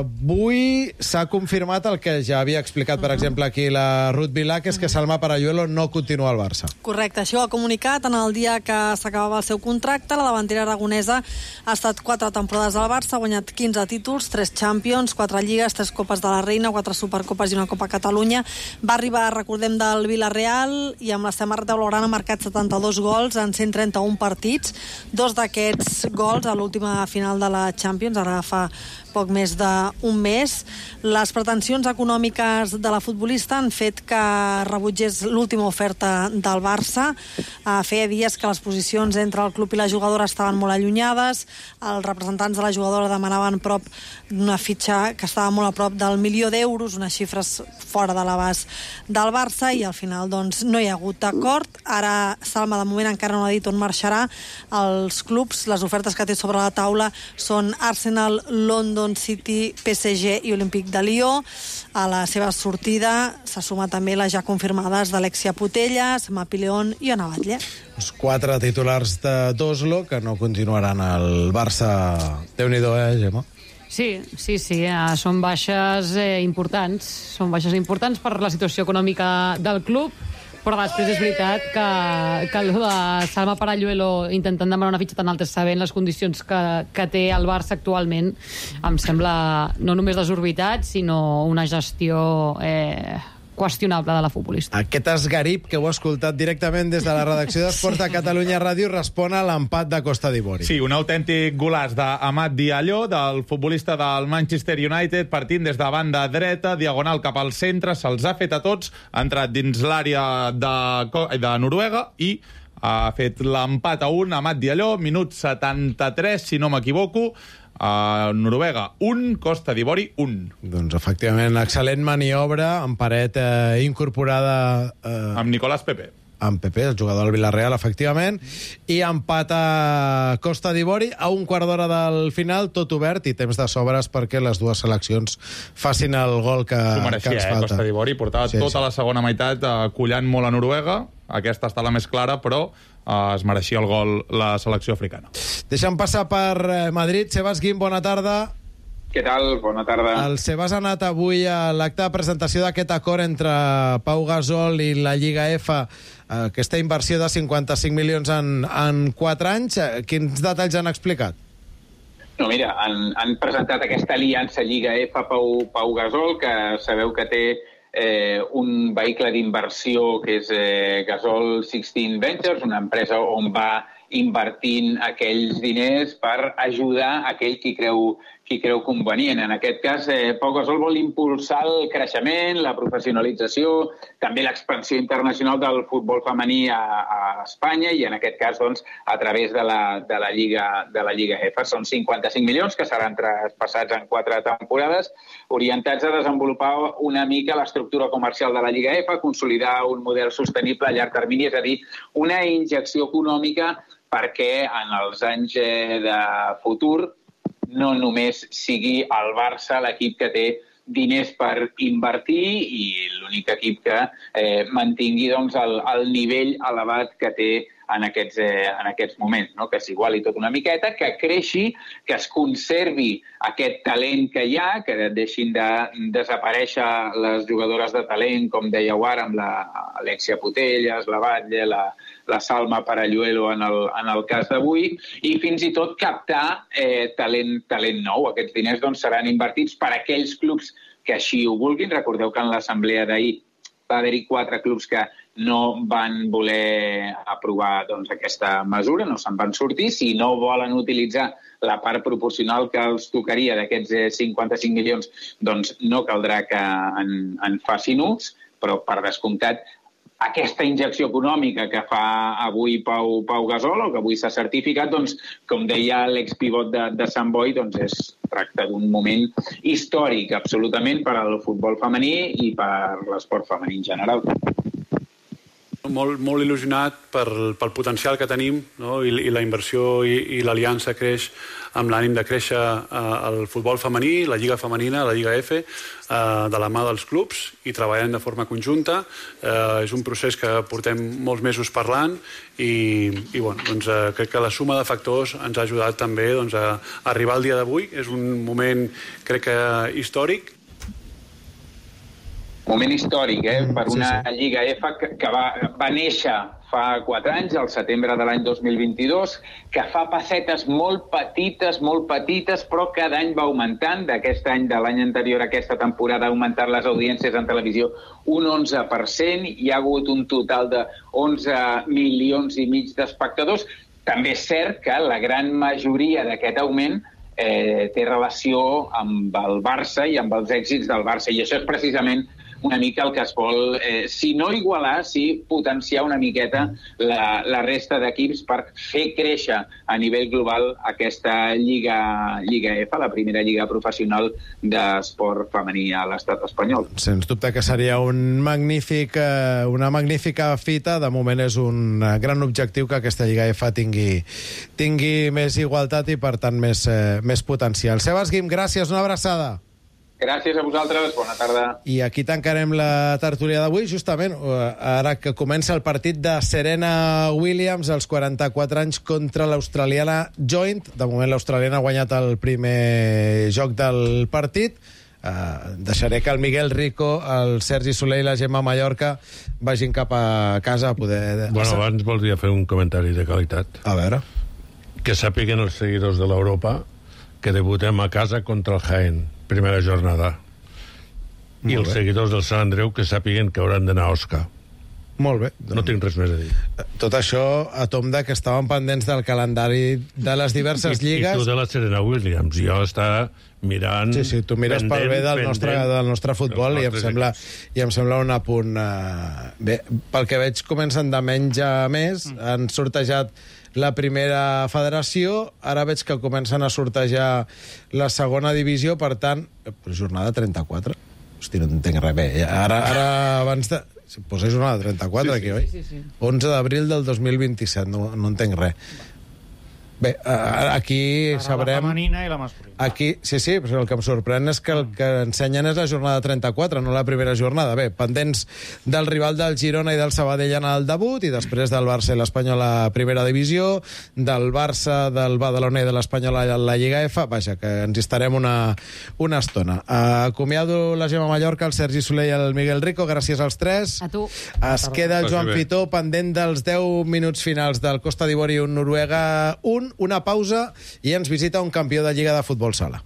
Avui s'ha confirmat el que ja havia explicat, per exemple, aquí la Ruth Vilà, que és que Salma Paralluelo no continua al Barça. Correcte, això ho ha comunicat en el dia que s'acabava el seu contracte. La davantera aragonesa ha estat 4 temporades al Barça, ha guanyat 15 títols, 3 Champions, 4 Lligues, 3 Copes de la Reina, 4 Supercopes i una Copa Catalunya. Va arribar, recordem, del Villarreal i amb la samarreta blaugrana ha marcat 72 gols en 131 partits. 2 d'aquests gols a l'última final de la Champions, ara fa poc més d'un mes. Les pretensions econòmiques de la futbolista han fet que rebutgés l'última oferta del Barça. Feia dies que les posicions entre el club i la jugadora estaven molt allunyades. Els representants de la jugadora demanaven prop d'una fitxa que estava molt a prop del milió d'euros, unes xifres fora de l'abast del Barça, i al final doncs no hi ha hagut acord. Ara Salma de moment encara no ha dit on marxarà. Els clubs, les ofertes que té sobre la taula són Arsenal, London City, PSG i Olímpic de Lió. A la seva sortida s'ha sumat també les ja confirmades d'Alexia Putellas, Mapi León i Ona Batlle. Els 4 titulars d'Oslo que no continuaran al Barça. Déu-n'hi-do, Gemma? Sí, són baixes importants. Són baixes importants per la situació econòmica del club, però després és veritat que el de Salma Paralluelo intentant demanar una fitxa tan alta, sabent les condicions que té el Barça actualment, em sembla no només desorbitat, sinó una gestió qüestionable de la futbolista. Aquest esgarip que heu escoltat directament des de la redacció d'Esports de Catalunya Ràdio respon a l'empat de Costa d'Ivori. Sí, un autèntic golaç d'Amat Diallo, del futbolista del Manchester United, partint des de banda dreta, diagonal cap al centre, se'ls ha fet a tots, ha entrat dins l'àrea de Noruega i ha fet l'empat a 1, Amat Diallo, minut 73, si no m'equivoco. Noruega 1, Costa d'Ivori 1. Doncs, efectivament, excel·lent maniobra amb paret incorporada... Amb Nicolás Pepe. Amb Pepe, el jugador del Villarreal, efectivament, i empat a Costa d'Ivori a un quart d'hora del final, tot obert i temps de sobres perquè les dues seleccions facin el gol que ens falta. Costa d'Ivori portava tota la segona meitat collant molt a Noruega. Aquesta està la més clara, però es mereixia el gol la selecció africana. Deixa'm passar per Madrid. Sebas Guim, bona tarda. Què tal? Bona tarda. El Sebas ha anat avui a l'acte de presentació d'aquest acord entre Pau Gasol i la Lliga F, aquesta inversió de 55 milions en 4 anys. Quins detalls han explicat? No, mira, han presentat aquesta aliança Lliga F Pau Gasol, que sabeu que té un vehicle d'inversió que és Gasol 16 Ventures, una empresa on va invertint aquells diners per ajudar aquell qui creu convenient. En aquest cas, Pau Gasol vol impulsar el creixement, la professionalització, també l'expansió internacional del futbol femení a Espanya i, en aquest cas, doncs, a través de la Lliga F. Són 55 milions que seran traspassats en 4 temporades, orientats a desenvolupar una mica l'estructura comercial de la Lliga F, consolidar un model sostenible a llarg termini, és a dir, una injecció econòmica perquè en els anys de futur no només sigui el Barça l'equip que té diners per invertir i l'únic equip que mantingui doncs, el nivell elevat que té en aquests moments, no? Que s'iguali tot una miqueta, que creixi, que es conservi aquest talent que hi ha, que deixin de desaparèixer les jugadores de talent, com dèieu ara, amb l'Alexia Putellas, la Batlle, la Salma Paralluelo en el cas d'avui, i fins i tot captar talent nou. Aquests diners doncs, seran invertits per aquells clubs que així ho vulguin. Recordeu que en l'assemblea d'ahir va haver-hi 4 clubs que no van voler aprovar doncs, aquesta mesura, no se'n van sortir. Si no volen utilitzar la part proporcional que els tocaria d'aquests 55 milions, doncs no caldrà que en facin ús, però per descomptat aquesta injecció econòmica que fa avui Pau Gasol, o que avui s'ha certificat, doncs, com deia l'expivot de Sant Boi, doncs es tracta d'un moment històric, absolutament, per al futbol femení i per l'esport femení en general. Molt il·lusionat pel potencial que tenim, no? I la inversió i l'aliança creix amb l'ànim de créixer el futbol femení, la Lliga Femenina, la Lliga F, de la mà dels clubs i treballant de forma conjunta. És un procés que portem molts mesos parlant i bueno, doncs, crec que la suma de factors ens ha ajudat també doncs, a arribar al dia d'avui. És un moment, crec que, històric. Moment històric, per una Lliga F que va néixer fa 4 anys, al setembre de l'any 2022, que fa passetes molt petites, però cada any va augmentant. D'aquest any, de l'any anterior a aquesta temporada, ha augmentat les audiències en televisió un 11%. Hi ha hagut un total de 11 milions i mig d'espectadors. També és cert que la gran majoria d'aquest augment té relació amb el Barça i amb els èxits del Barça. I això és precisament una mica el que es vol, si no igualar, sí potenciar una miqueta la resta d'equips per fer créixer a nivell global aquesta Lliga F, la primera lliga professional d'esport femení a l'estat espanyol. Sens dubte que seria una magnífica fita. De moment és un gran objectiu que aquesta Lliga F tingui més igualtat i, per tant, més potencial. Sebas Guim, gràcies, una abraçada. Gràcies a vosaltres, bona tarda. I aquí tancarem la tertúlia d'avui, justament, ara que comença el partit de Serena Williams, als 44 anys, contra l'australiana Joint. De moment l'australiana ha guanyat el primer joc del partit. Deixaré que el Miguel Rico, el Sergi Soler i la Gemma Mallorca vagin cap a casa a poder... Bueno, abans voldria fer un comentari de qualitat. A veure. Que sàpiguen els seguidors de l'Europa que debutem a casa contra el Jaén, primera jornada. I els seguidors del Sant Andreu que sàpiguen que hauran d'anar a Osca. Molt bé. No tinc res més a dir. Tot això a tom de que estàvem pendents del calendari de les diverses lligues. I tu de la Serena Williams. Jo estava mirant... Sí, tu mires pel bé del nostre futbol i em sembla un apunt... Bé, pel que veig comencen de menys a més, han sortejat la primera federació, ara veig que comencen a sortejar la segona divisió, per tant, jornada 34. Hosti, no entenc res bé. Ara abans de... Posa jornada 34 aquí, oi? Sí. 11 d'abril del 2027, no entenc res. Bé, aquí sabrem... La femenina i la masculina. Aquí, sí, però el que em sorprèn és que el que ensenyen és la jornada 34, no la primera jornada. Bé, pendents del rival del Girona i del Sabadell en el debut, i després del Barça i l'Espanyol a la primera divisió, del Barça, del Badalona i de l'Espanyol a la Lliga F. Vaja, que ens hi estarem una estona. Acomiado la Gemma Mallorca, el Sergi Soler i el Miguel Rico, gràcies als tres. A tu. Es queda el Joan Pitó pendent dels 10 minuts finals del Costa d'Ivori 1, Noruega 1, una pausa i ens visita un campió de Lliga de Futbol Sala.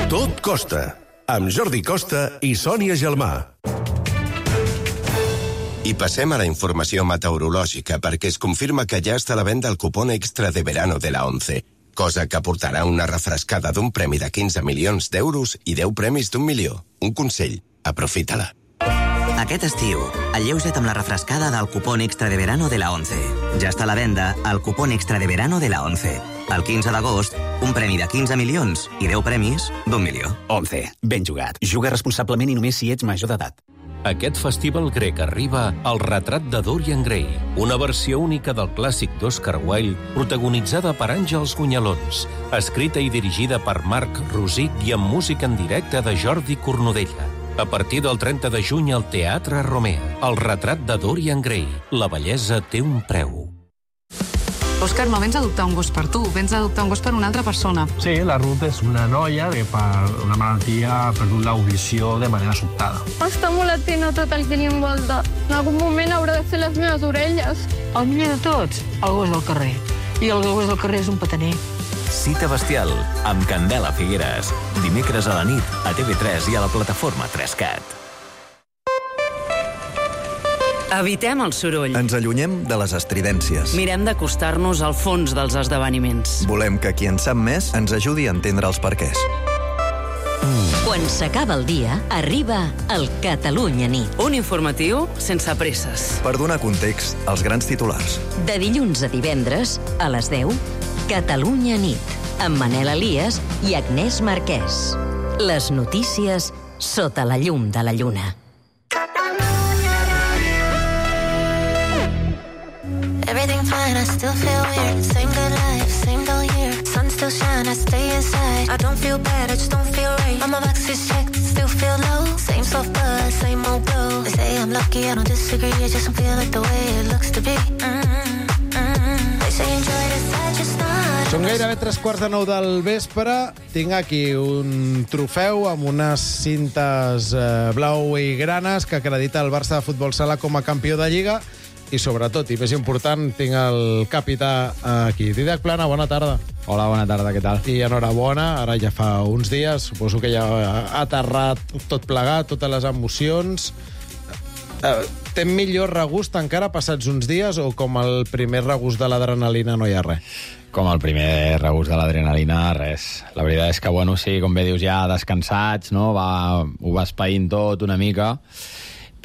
Tot Costa, amb Jordi Costa i Sònia Gelmà. I passem a la informació meteorològica, perquè es confirma que ja està a la venda el cupón extra de verano de la 11, cosa que aportarà una refrescada d'un premi de 15 milions d'euros i 10 premis d'1 milió. Un consell, aprofita-la. Aquest estiu, alleuja't amb la refrescada del cupón extra de verano de la 11. Ja està a la venda el cupón extra de verano de la 11. El 15 d'agost, un premi de 15 milions i 10 premis d'1 milió. 11. Ben jugat. Juga responsablement i només si ets major d'edat. Aquest festival grec arriba al retrat de Dorian Gray, una versió única del clàssic d'Oscar Wilde, protagonitzada per Àngels Gunyalons, escrita i dirigida per Marc Rosic i amb música en directe de Jordi Cornudella. A partir del 30 de juny al Teatre Romea, el retrat de Dorian Gray. La bellesa té un preu. Òscar, no vens a adoptar un gos per tu, vens a adoptar un gos per una altra persona. Sí, la Ruth és una noia que per una malaltia ha perdut l'audició de manera sobtada. Està molt atent a tot el que li envolta. En algun moment haurà de fer les meves orelles. El millor de tots, el gos del carrer. I el gos del carrer és un petaner. Cita bestial, amb Candela Figueres. Dimecres a la nit, a TV3 i a la plataforma 3CAT. Evitem el soroll. Ens allunyem de les estridències. Mirem d'acostar-nos al fons dels esdeveniments. Volem que qui en sap més ens ajudi a entendre els perquès. Quan s'acaba el dia, arriba el Catalunya Nit. Un informatiu sense presses. Per donar context als grans titulars. De dilluns a divendres, a les 10, Catalunya Nit, amb Manel Elias i Agnès Marquès. Les notícies sota la llum de la lluna. Everything fine, I still feel weird. Same good life, same dull year. Sun still shine, I stay inside. I don't feel bad, I just don't feel right. All my boxes checked, still feel low. Same soft buzz, same old glow. They say I'm lucky, I don't disagree. I just don't feel like the way it looks to be. They say enjoy this, I just not. Són gairebé 3:45 del vespre. Tinc aquí un trofeu amb unes cintes blau i granes que acredita el Barça de Futbol Sala com a campió de Lliga. I sobretot, i més important, tinc el capità aquí. Didac Plana, bona tarda. Hola, bona tarda, què tal? I enhorabona, ara ja fa uns dies, suposo que ja ha aterrat tot plegat, totes les emocions. Té millor regust encara passats uns dies o com el primer regust de l'adrenalina no hi ha res? Com el primer regust de l'adrenalina, res. La veritat és que, bueno, sí, com bé dius, ja descansats, no? Ho va espaint tot una mica,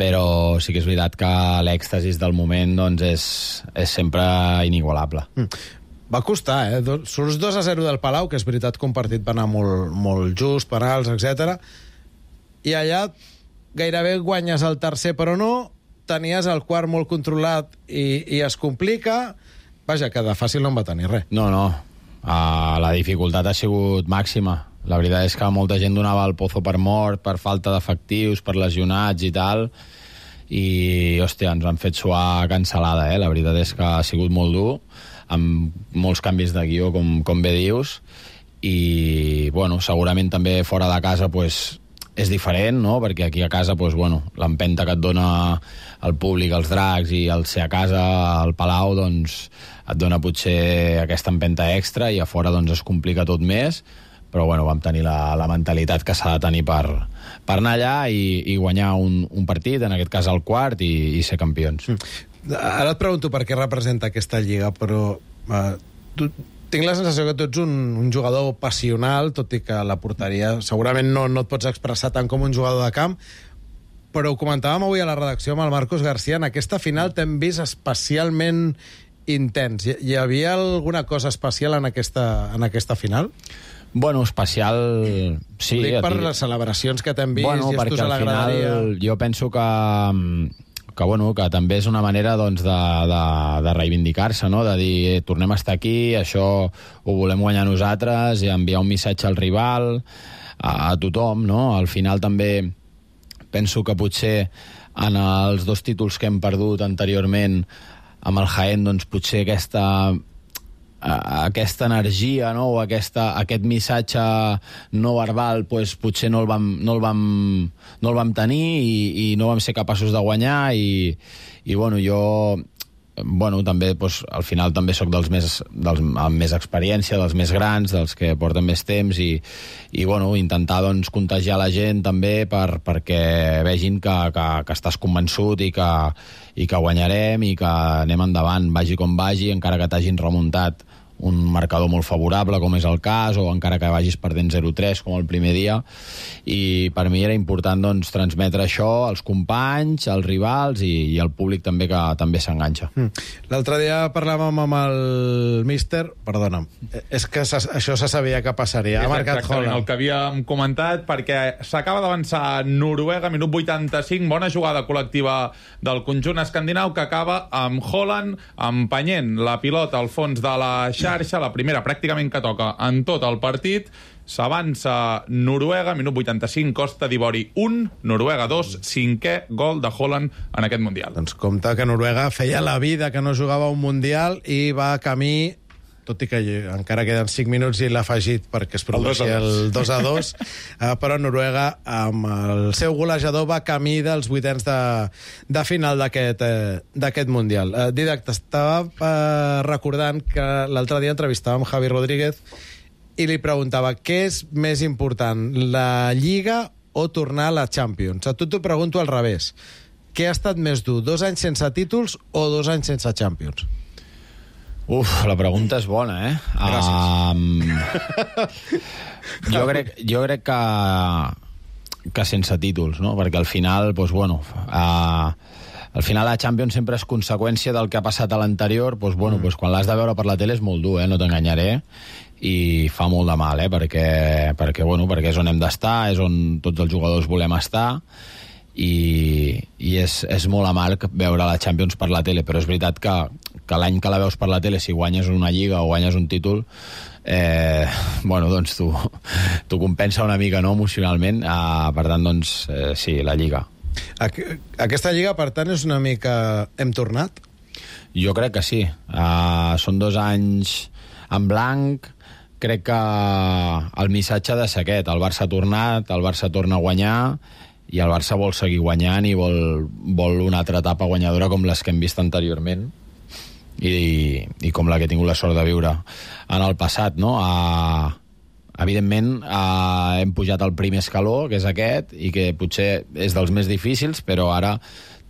però sí que és veritat que l'èxtasis del moment doncs, és sempre inigualable. Va costar, Surts 2-0 del Palau, que és veritat que un partit va anar molt just, penals, etc. I allà gairebé guanyes el tercer, però no. Tenies el quart molt controlat i es complica. Vaja, que de fàcil no en va tenir res. No. La dificultat ha sigut màxima. La veritat és que molta gent donava el pozo per mort, per falta d'efectius, per lesionats i tal, i, hòstia, ens han fet suar cancel·lada, La veritat és que ha sigut molt dur, amb molts canvis de guió, com bé dius, i, bueno, segurament també fora de casa, pues, és diferent, no?, perquè aquí a casa, pues, bueno, l'empenta que et dona el públic, els dracs, i el ser a casa, al Palau, doncs, et dona potser aquesta empenta extra, i a fora, doncs, es complica tot més, però bueno, vam tenir la mentalitat que s'ha de tenir per anar allà i guanyar un partit, en aquest cas el quart, i ser campions. Ara et pregunto per què representa aquesta lliga, però tinc la sensació que tu ets un jugador passional, tot i que la porteria segurament no et pots expressar tant com un jugador de camp, però ho comentàvem avui a la redacció amb el Marcos García, en aquesta final t'hem vist especialment intens. Hi havia alguna cosa especial en aquesta final? Bueno, especial... Sí, ho dic per les celebracions que t'hem vist, bueno, gestos a la graderia... Jo penso que també és una manera doncs, de reivindicar-se, no? De dir, tornem a estar aquí, això ho volem guanyar nosaltres, i enviar un missatge al rival, a tothom, no? Al final també penso que potser en els 2 títols que hem perdut anteriorment amb el Jaén, doncs potser aquesta energia, no? O aquest missatge no verbal, doncs potser no el vam tenir i no vam ser capaços de guanyar, i bueno, jo també al final també soc amb més experiència, dels més grans, dels que porten més temps, i bueno, intentar doncs contagiar la gent també perquè vegin que estàs convençut i que guanyarem i que anem endavant, vagi com vagi, encara que t'hagin remuntat un marcador molt favorable, com és el cas, o encara que vagis perdent 0-3, com el primer dia. I per mi era important doncs, transmetre això als companys, als rivals i al públic també, que també s'enganxa. L'altre dia parlàvem amb el míster... Perdona'm, és que això se sabia que passaria. Ha marcat Haaland. El que havíem comentat, perquè s'acaba d'avançar Noruega, minut 85, bona jugada col·lectiva del conjunt escandinau, que acaba amb Haaland empenyent la pilota al fons de la xarxa, la primera pràcticament que toca en tot el partit. S'avança Noruega, minut 85, Costa d'Ivori 1, Noruega 2, 5è gol de Haaland en aquest Mundial. Doncs compte que Noruega feia la vida que no jugava un Mundial i va camí, tot i que encara queden 5 minuts i l'ha afegit perquè es produeixi el 2-2, però Noruega, amb el seu golejador, va camí dels 8ens de final d'aquest Mundial. Didac, t'estava recordant que l'altre dia entrevistàvem Javi Rodríguez i li preguntava què és més important, la Lliga o tornar a la Champions. A tu t'ho pregunto al revés. Què ha estat més dur, 2 anys sense títols o 2 anys sense Champions? La pregunta és bona, eh? Gràcies. Jo crec que sense títols, no? Perquè al final, doncs, bueno, al final la Champions sempre és conseqüència del que ha passat a l'anterior, doncs, bueno, doncs, quan l'has de veure per la tele és molt dur, no t'enganyaré, i fa molt de mal, perquè és on hem d'estar, és on tots els jugadors volem estar, i és molt amarg veure la Champions per la tele, però és veritat que l'any que la veus per la tele, si guanyes una lliga o guanyes un títol, doncs t'ho compensa una mica, no, emocionalment. Per tant, doncs, sí, la lliga. Aquesta lliga, per tant, és una mica... Hem tornat? Jo crec que sí. Són 2 anys en blanc. Crec que el missatge ha de ser aquest. El Barça ha tornat, el Barça torna a guanyar, i el Barça vol seguir guanyant i vol una altra etapa guanyadora com les que hem vist anteriorment i com la que he tingut la sort de viure en el passat, no? Evidentment hem pujat al primer escaló, que és aquest, i que potser és dels més difícils, però ara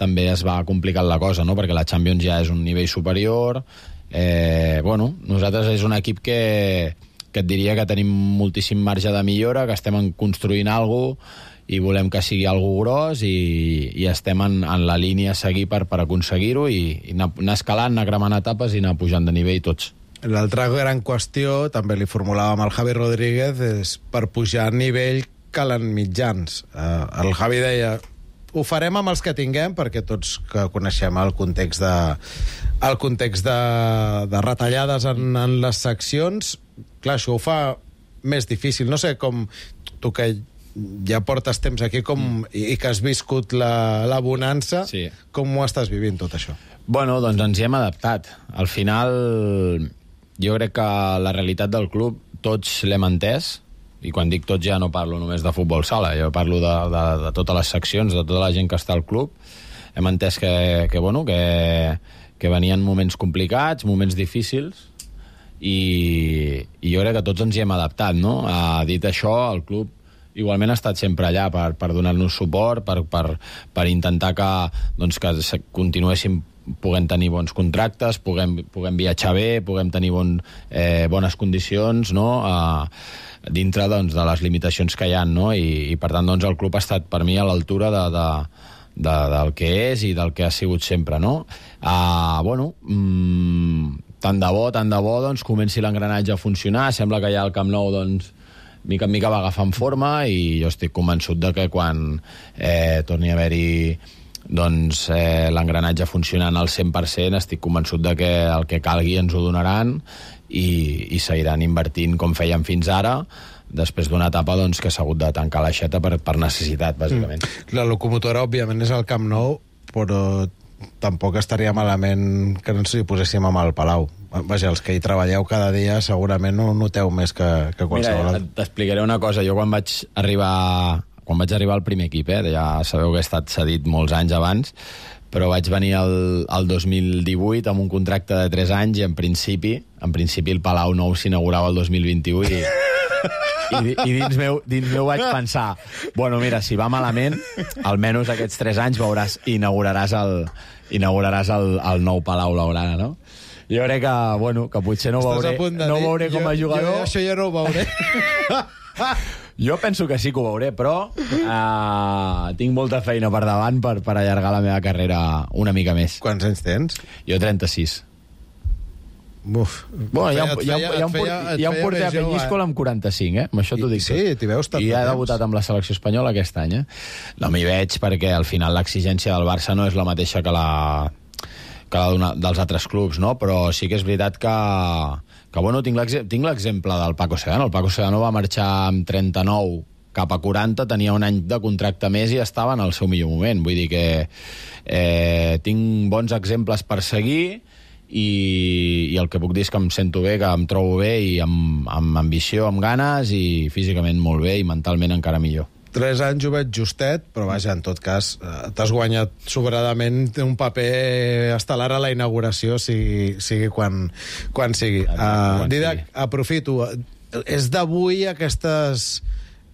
també es va complicant la cosa, no? Perquè la Champions ja és un nivell superior. Nosaltres és un equip que et diria que tenim moltíssim marge de millora, que estem construint alguna cosa i volem que sigui algo gros, i estem en la línia a seguir per aconseguir-ho, i anar escalant, anar cremant etapes i anar pujant de nivell tots. L'altra gran qüestió, també li formulàvem al Javi Rodríguez, és per pujar a nivell calen mitjans. El Javi deia, ho farem amb els que tinguem, perquè tots que coneixem el context de retallades en les seccions, clar, això ho fa més difícil. No sé com tu, que ja portes temps aquí i que has viscut la bonança, sí. Com ho estàs vivint tot això? Bueno, doncs ens hi hem adaptat. Al final, jo crec que la realitat del club tots l'hem entès, i quan dic tots ja no parlo només de futbol sala, jo parlo de totes les seccions, de tota la gent que està al club. Hem entès que venien moments complicats, moments difícils, i jo crec que tots ens hi hem adaptat, no? Dit això, el club igualment ha estat sempre allà per donar-nos suport, per intentar que continuéssim puguem tenir bons contractes, puguem viatjar bé, puguem tenir bones condicions, no? Dintre de les limitacions que hi ha, no? I per tant el club ha estat per mi a l'altura del que és i del que ha sigut sempre, no? Tant de bo comenci l'engranatge a funcionar. Sembla que ja el Camp Nou mica en mica va agafant forma i jo estic convençut de que quan torni a haver-hi l'engranatge funcionant al 100%, estic convençut de que el que calgui ens ho donaran i seguiran invertint com feien fins ara, després d'una etapa que s'ha hagut de tancar l'aixeta per necessitat, bàsicament. La locomotora, òbviament, és el Camp Nou, però tampoc estaria malament que no ens hi poséssim amb el Palau. Vaja, els que hi treballeu cada dia segurament ho noteu més que qualsevol. Mira, t'explicaré una cosa. Jo quan vaig arribar al primer equip, ja sabeu que he estat cedit molts anys abans, però vaig venir el 2018 amb un contracte de 3 anys i en principi el Palau Nou s'inaugurava el 2021 i dins meu vaig pensar, bueno, mira, si va malament, almenys aquests 3 anys inauguraràs el nou Palau Blaugrana, no? Jo crec que potser no ho veuré com a jugador. Jo això ja no ho veuré. Jo penso que sí que ho veuré, però tinc molta feina per davant per allargar la meva carrera una mica més. Quants anys tens? Jo 36. Buf. Bueno, hi ha un porter a Penyíscola amb 45, amb això t'ho dic. Sí, t'hi veus tant. I ha debutat amb la selecció espanyola aquest any, No m'hi veig perquè al final l'exigència del Barça no és la mateixa que la dels altres clubs, no? Però sí que és veritat que bueno, tinc l'exemple del Paco Segano. El Paco Segano va marxar amb 39 cap a 40, tenia un any de contracte més i estava en el seu millor moment. Vull dir que tinc bons exemples per seguir i el que puc dir és que em sento bé, que em trobo bé i amb ambició, amb ganes i físicament molt bé i mentalment encara millor. 3 anys ho veig justet, però vaja, en tot cas, t'has guanyat sobradament un paper estel·lar a la inauguració, sigui quan sigui. Didac, aprofito. És d'avui aquestes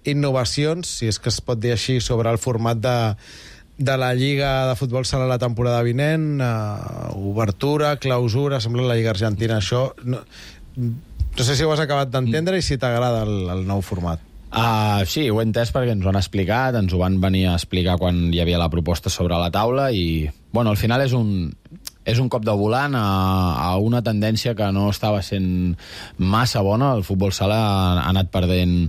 innovacions, si és que es pot dir així, sobre el format de la Lliga de Futbol Sala la temporada vinent, obertura, clausura, sembla la Lliga Argentina, això. No sé si ho has acabat d'entendre i si t'agrada el nou format. Sí, ho he entès perquè ens ho han explicat, ens ho van venir a explicar quan hi havia la proposta sobre la taula i, bueno, al final és un cop de volant a una tendència que no estava sent massa bona. El futbol sala ha anat perdent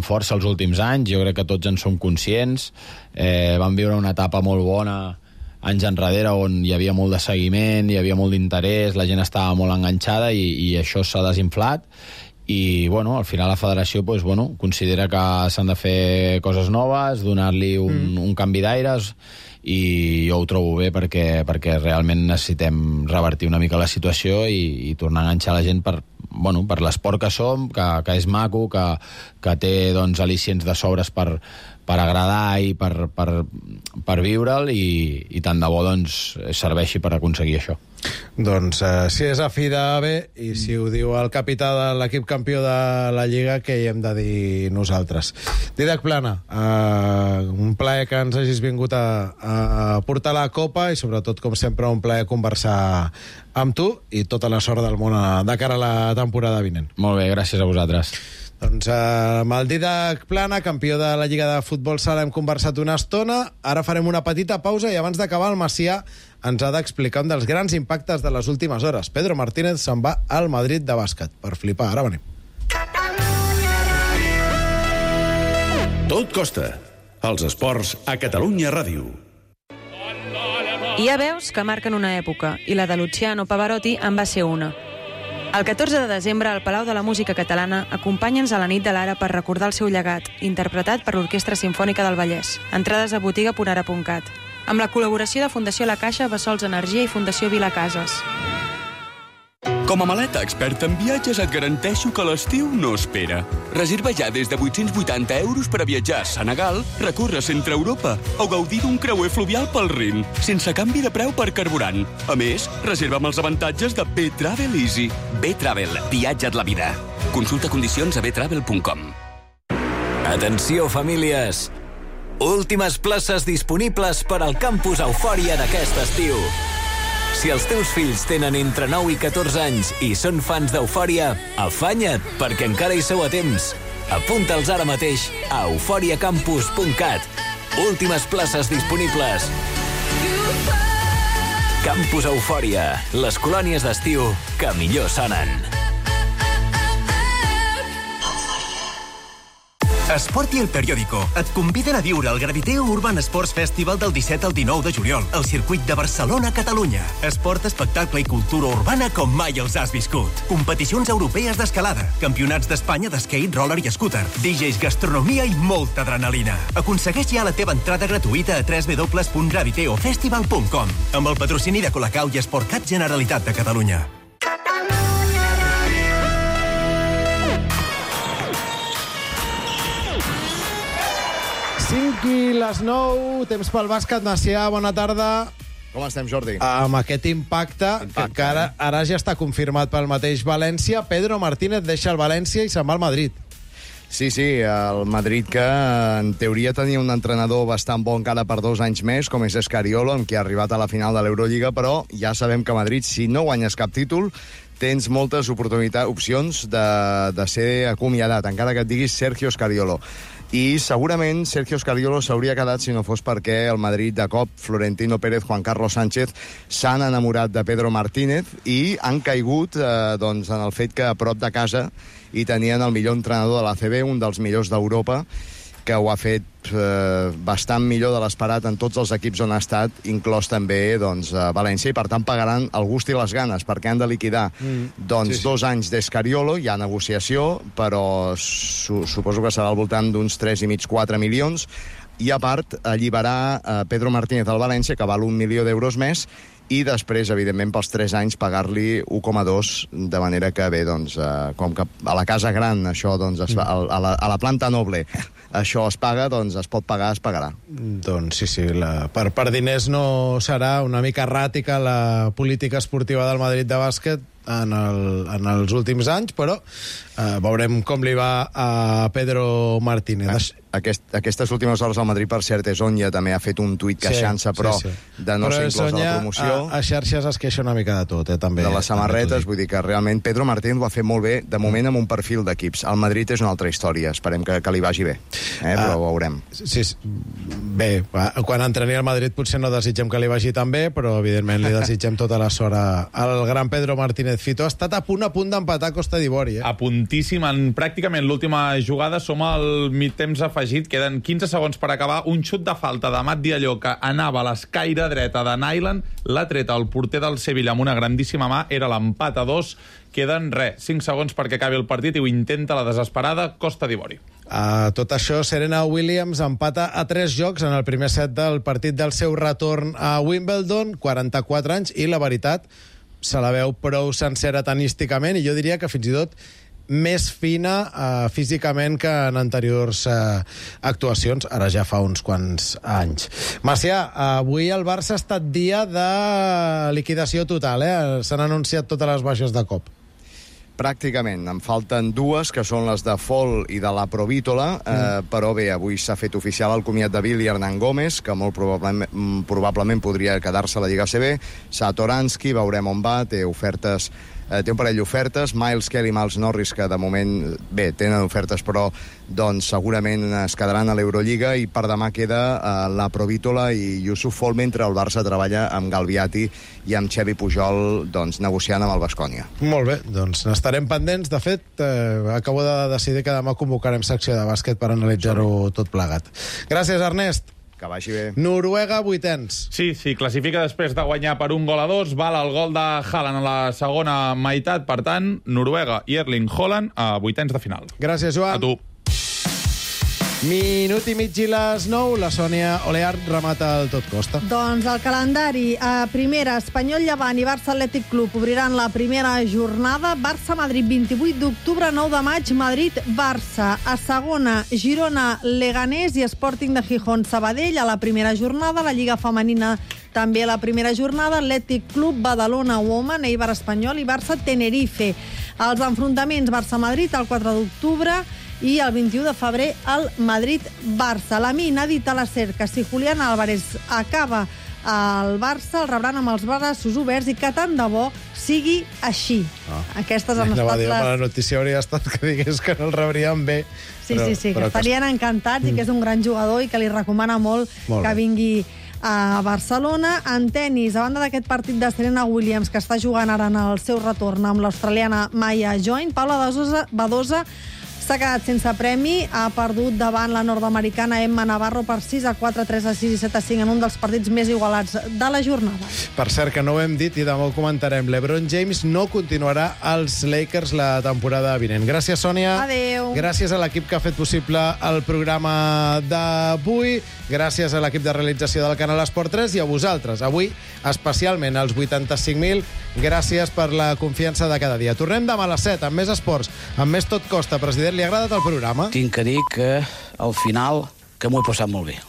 força els últims anys, jo crec que tots en som conscients. Vam viure una etapa molt bona anys enrere on hi havia molt de seguiment, hi havia molt d'interès, la gent estava molt enganxada i això s'ha desinflat. I, bueno, al final la federació considera que s'han de fer coses noves, donar-li un canvi d'aires, i jo ho trobo bé perquè realment necessitem revertir una mica la situació i tornar a enganxar la gent per l'esport que som, que és maco, que té al·licients de sobres per agradar i per viure'l i tant de bo serveixi per aconseguir això. Doncs si és a fi de bé i si ho diu el capità de l'equip campió de la Lliga, què hi hem de dir nosaltres? Didac Plana, un plaer que ens hagis vingut a portar la copa i sobretot, com sempre, un plaer conversar amb tu i tota la sort del món de cara a la temporada vinent. Molt bé, gràcies a vosaltres. Doncs amb el Didac Plana, campió de la Lliga de Futbol Sala, hem conversat una estona. Ara farem una petita pausa i abans d'acabar el Macià ens ha d'explicar un dels grans impactes de les últimes hores. Pedro Martínez se'n va al Madrid de bàsquet. Per flipar, ara venim. Tot costa. Els esports a Catalunya Ràdio. Hi ha veus que marquen una època i la de Luciano Pavarotti en va ser una. El 14 de desembre, al Palau de la Música Catalana, acompanya'ns a la nit de l'Ara per recordar el seu llegat, interpretat per l'Orquestra Simfònica del Vallès. Entrades a botiga.ara.cat. Amb la col·laboració de Fundació La Caixa, Bessols Energia i Fundació Vila Cases. Com a maleta experta en viatges et garanteixo que l'estiu no espera. Reserva ja des de 880 euros per a viatjar a Senegal, recórrer centre Europa o gaudir d'un creuer fluvial pel Rin, sense canvi de preu per carburant. A més, reserva amb els avantatges de B-Travel Easy. B-Travel, viatja't la vida. Consulta condicions a btravel.com. Atenció, famílies! Últimes places disponibles per al campus Eufòria d'aquest estiu. Si els teus fills tenen entre 9 i 14 anys i són fans d'Eufòria, afanya't, perquè encara hi sou a temps. Apunta'ls ara mateix a euforiacampus.cat. Últimes places disponibles. Campus Eufòria, les colònies d'estiu que millor sonen. Esport i El Periódico et conviden a viure el Graviteo Urban Sports Festival del 17 al 19 de juliol al circuit de Barcelona, Catalunya. Esport, espectacle i cultura urbana com mai els has viscut. Competicions europees d'escalada, campionats d'Espanya d'skate, roller i scooter, DJs, gastronomia i molta adrenalina. Aconsegueix ja la teva entrada gratuïta a www.graviteofestival.com amb el patrocini de Colacau i Esportcat Generalitat de Catalunya. 5 i les 9, temps pel bàsquet. Macià, bona tarda. Com estem, Jordi? Amb aquest impacte que ara ja està confirmat pel mateix València. Pedro Martínez deixa el València i se'n va al Madrid. Sí, el Madrid, que en teoria tenia un entrenador bastant bon encara per 2 anys més, com és Escariolo, amb qui ha arribat a la final de l'Eurolliga, però ja sabem que Madrid, si no guanyes cap títol, tens moltes opcions de ser acomiadat, encara que et diguis Sergio Scariolo. I segurament Sergio Scariolo s'hauria quedat si no fos perquè el Madrid, de cop, Florentino Pérez, Juan Carlos Sánchez, s'han enamorat de Pedro Martínez i han caigut en el fet que a prop de casa hi tenien el millor entrenador de l'ACB, un dels millors d'Europa, que ho ha fet bastant millor de l'esperat en tots els equips on ha estat, inclòs també València, i per tant pagaran el gust i les ganes, perquè han de liquidar 2 anys d'Escariolo, hi ha negociació, però suposo que serà al voltant d'uns 3,5-4 milions, i a part alliberar Pedro Martínez al València, que val 1 milió d'euros més, i després, evidentment, pels 3 anys pagar-li 1,2, de manera que, bé, com que a la casa gran això es fa, a la planta noble això es paga, es pot pagar, es pagarà. Doncs sí, per diners no serà. Una mica erràtica la política esportiva del Madrid de bàsquet en els últims anys, però veurem com li va a Pedro Martínez. Aquestes últimes hores al Madrid, per cert, Sonja també ha fet un tuit queixant-se, però de no ser inclòs a la promoció. A xarxes es queixa una mica de tot, també. De les samarretes, vull dir que realment Pedro Martínez ho ha fet molt bé, de moment amb un perfil d'equips. El Madrid és una altra història, esperem que li vagi bé, però ho veurem. Sí, bé, quan entreni al Madrid potser no desitgem que li vagi tan bé, però evidentment li desitgem tota la sort al gran Pedro Martínez. Fito ha estat a punt d'empatar Costa d'Ivori. A puntíssim, en pràcticament l'última jugada, som al migtemps afegit, queden 15 segons per acabar, un xut de falta de Mat Dialló que anava a l'escaire dreta de Nyland, l'ha tret el porter del Sevilla amb una grandíssima mà, era l'empat a 2, queden 5 segons perquè acabi el partit i ho intenta la desesperada Costa d'Ivori. Tot això, Serena Williams empata a 3 jocs en el primer set del partit del seu retorn a Wimbledon, 44 anys, i la veritat se la veu prou sencera tenísticament, i jo diria que fins i tot més fina físicament que en anteriors actuacions, ara ja fa uns quants anys. Macià, avui el Barça ha estat dia de liquidació total, s'han anunciat totes les baixes de cop. Pràcticament, en falten 2, que són les de Fol i de la Provítola, però bé, avui s'ha fet oficial el comiat de Billy Hernán Gómez, que molt probablement podria quedar-se a la Lliga ACB, Satoransky, veurem on va, té un parell d'ofertes, Miles Kelly i Miles Norris, que de moment, bé, tenen ofertes, però segurament es quedaran a l'Eurolliga, i per demà queda la Provítola i Yusuf Fol, mentre el Barça treballa amb Galviati i amb Xevi Pujol negociant amb el Baskonia. Molt bé, doncs n'estarem pendents. De fet, acabo de decidir que demà convocarem secció de bàsquet per analitzar-ho tot plegat. Gràcies, Ernest. Que vagi bé. Noruega, 8ens. Sí, classifica després de guanyar per 1-2, val el gol de Haaland a la segona meitat, per tant, Noruega i Erling Haaland a 8ens de final. Gràcies, Joan. A tu. Minut i mig i les 9, la Sònia Oleart remata el Tot Costa. Doncs el calendari, primera, Espanyol Llevant i Barça Atlètic Club obriran la primera jornada. Barça-Madrid, 28 d'octubre, 9 de maig, Madrid-Barça. A segona, Girona-Leganés i Sporting de Gijón-Sabadell a la primera jornada. La Lliga Femenina també a la primera jornada. Atlètic Club Badalona-Woman, Eibar-Espanyol i Barça-Tenerife. Els enfrontaments Barça-Madrid el 4 d'octubre i el 21 de febrer el Madrid-Barça. La mina ha dit a la SER que si Julián Álvarez acaba al Barça el rebran amb els braços oberts i que tant de bo sigui així. Aquestes han estat les... La notícia hauria estat que digués que no el rebrien bé. Sí, que estarien encantats i que és un gran jugador i que li recomana molt que vingui a Barcelona. En tenis, a banda d'aquest partit de Serena Williams, que està jugant ara en el seu retorn amb l'australiana Maya Join, Paula Badosa s'ha quedat sense premi, ha perdut davant la nord-americana Emma Navarro per 6-4, 3-6 i 7-5 en un dels partits més igualats de la jornada. Per cert, que no ho hem dit i demà ho comentarem, LeBron James no continuarà als Lakers la temporada vinent. Gràcies, Sònia. Adéu. Gràcies a l'equip que ha fet possible el programa d'avui. Gràcies a l'equip de realització del Canal Esport 3 i a vosaltres. Avui, especialment als 85.000, gràcies per la confiança de cada dia. Tornem demà a les 7 amb més esports, amb més Tot Costa. President, li ha agradat el programa? Tinc que dir que al final que m'ho he passat molt bé.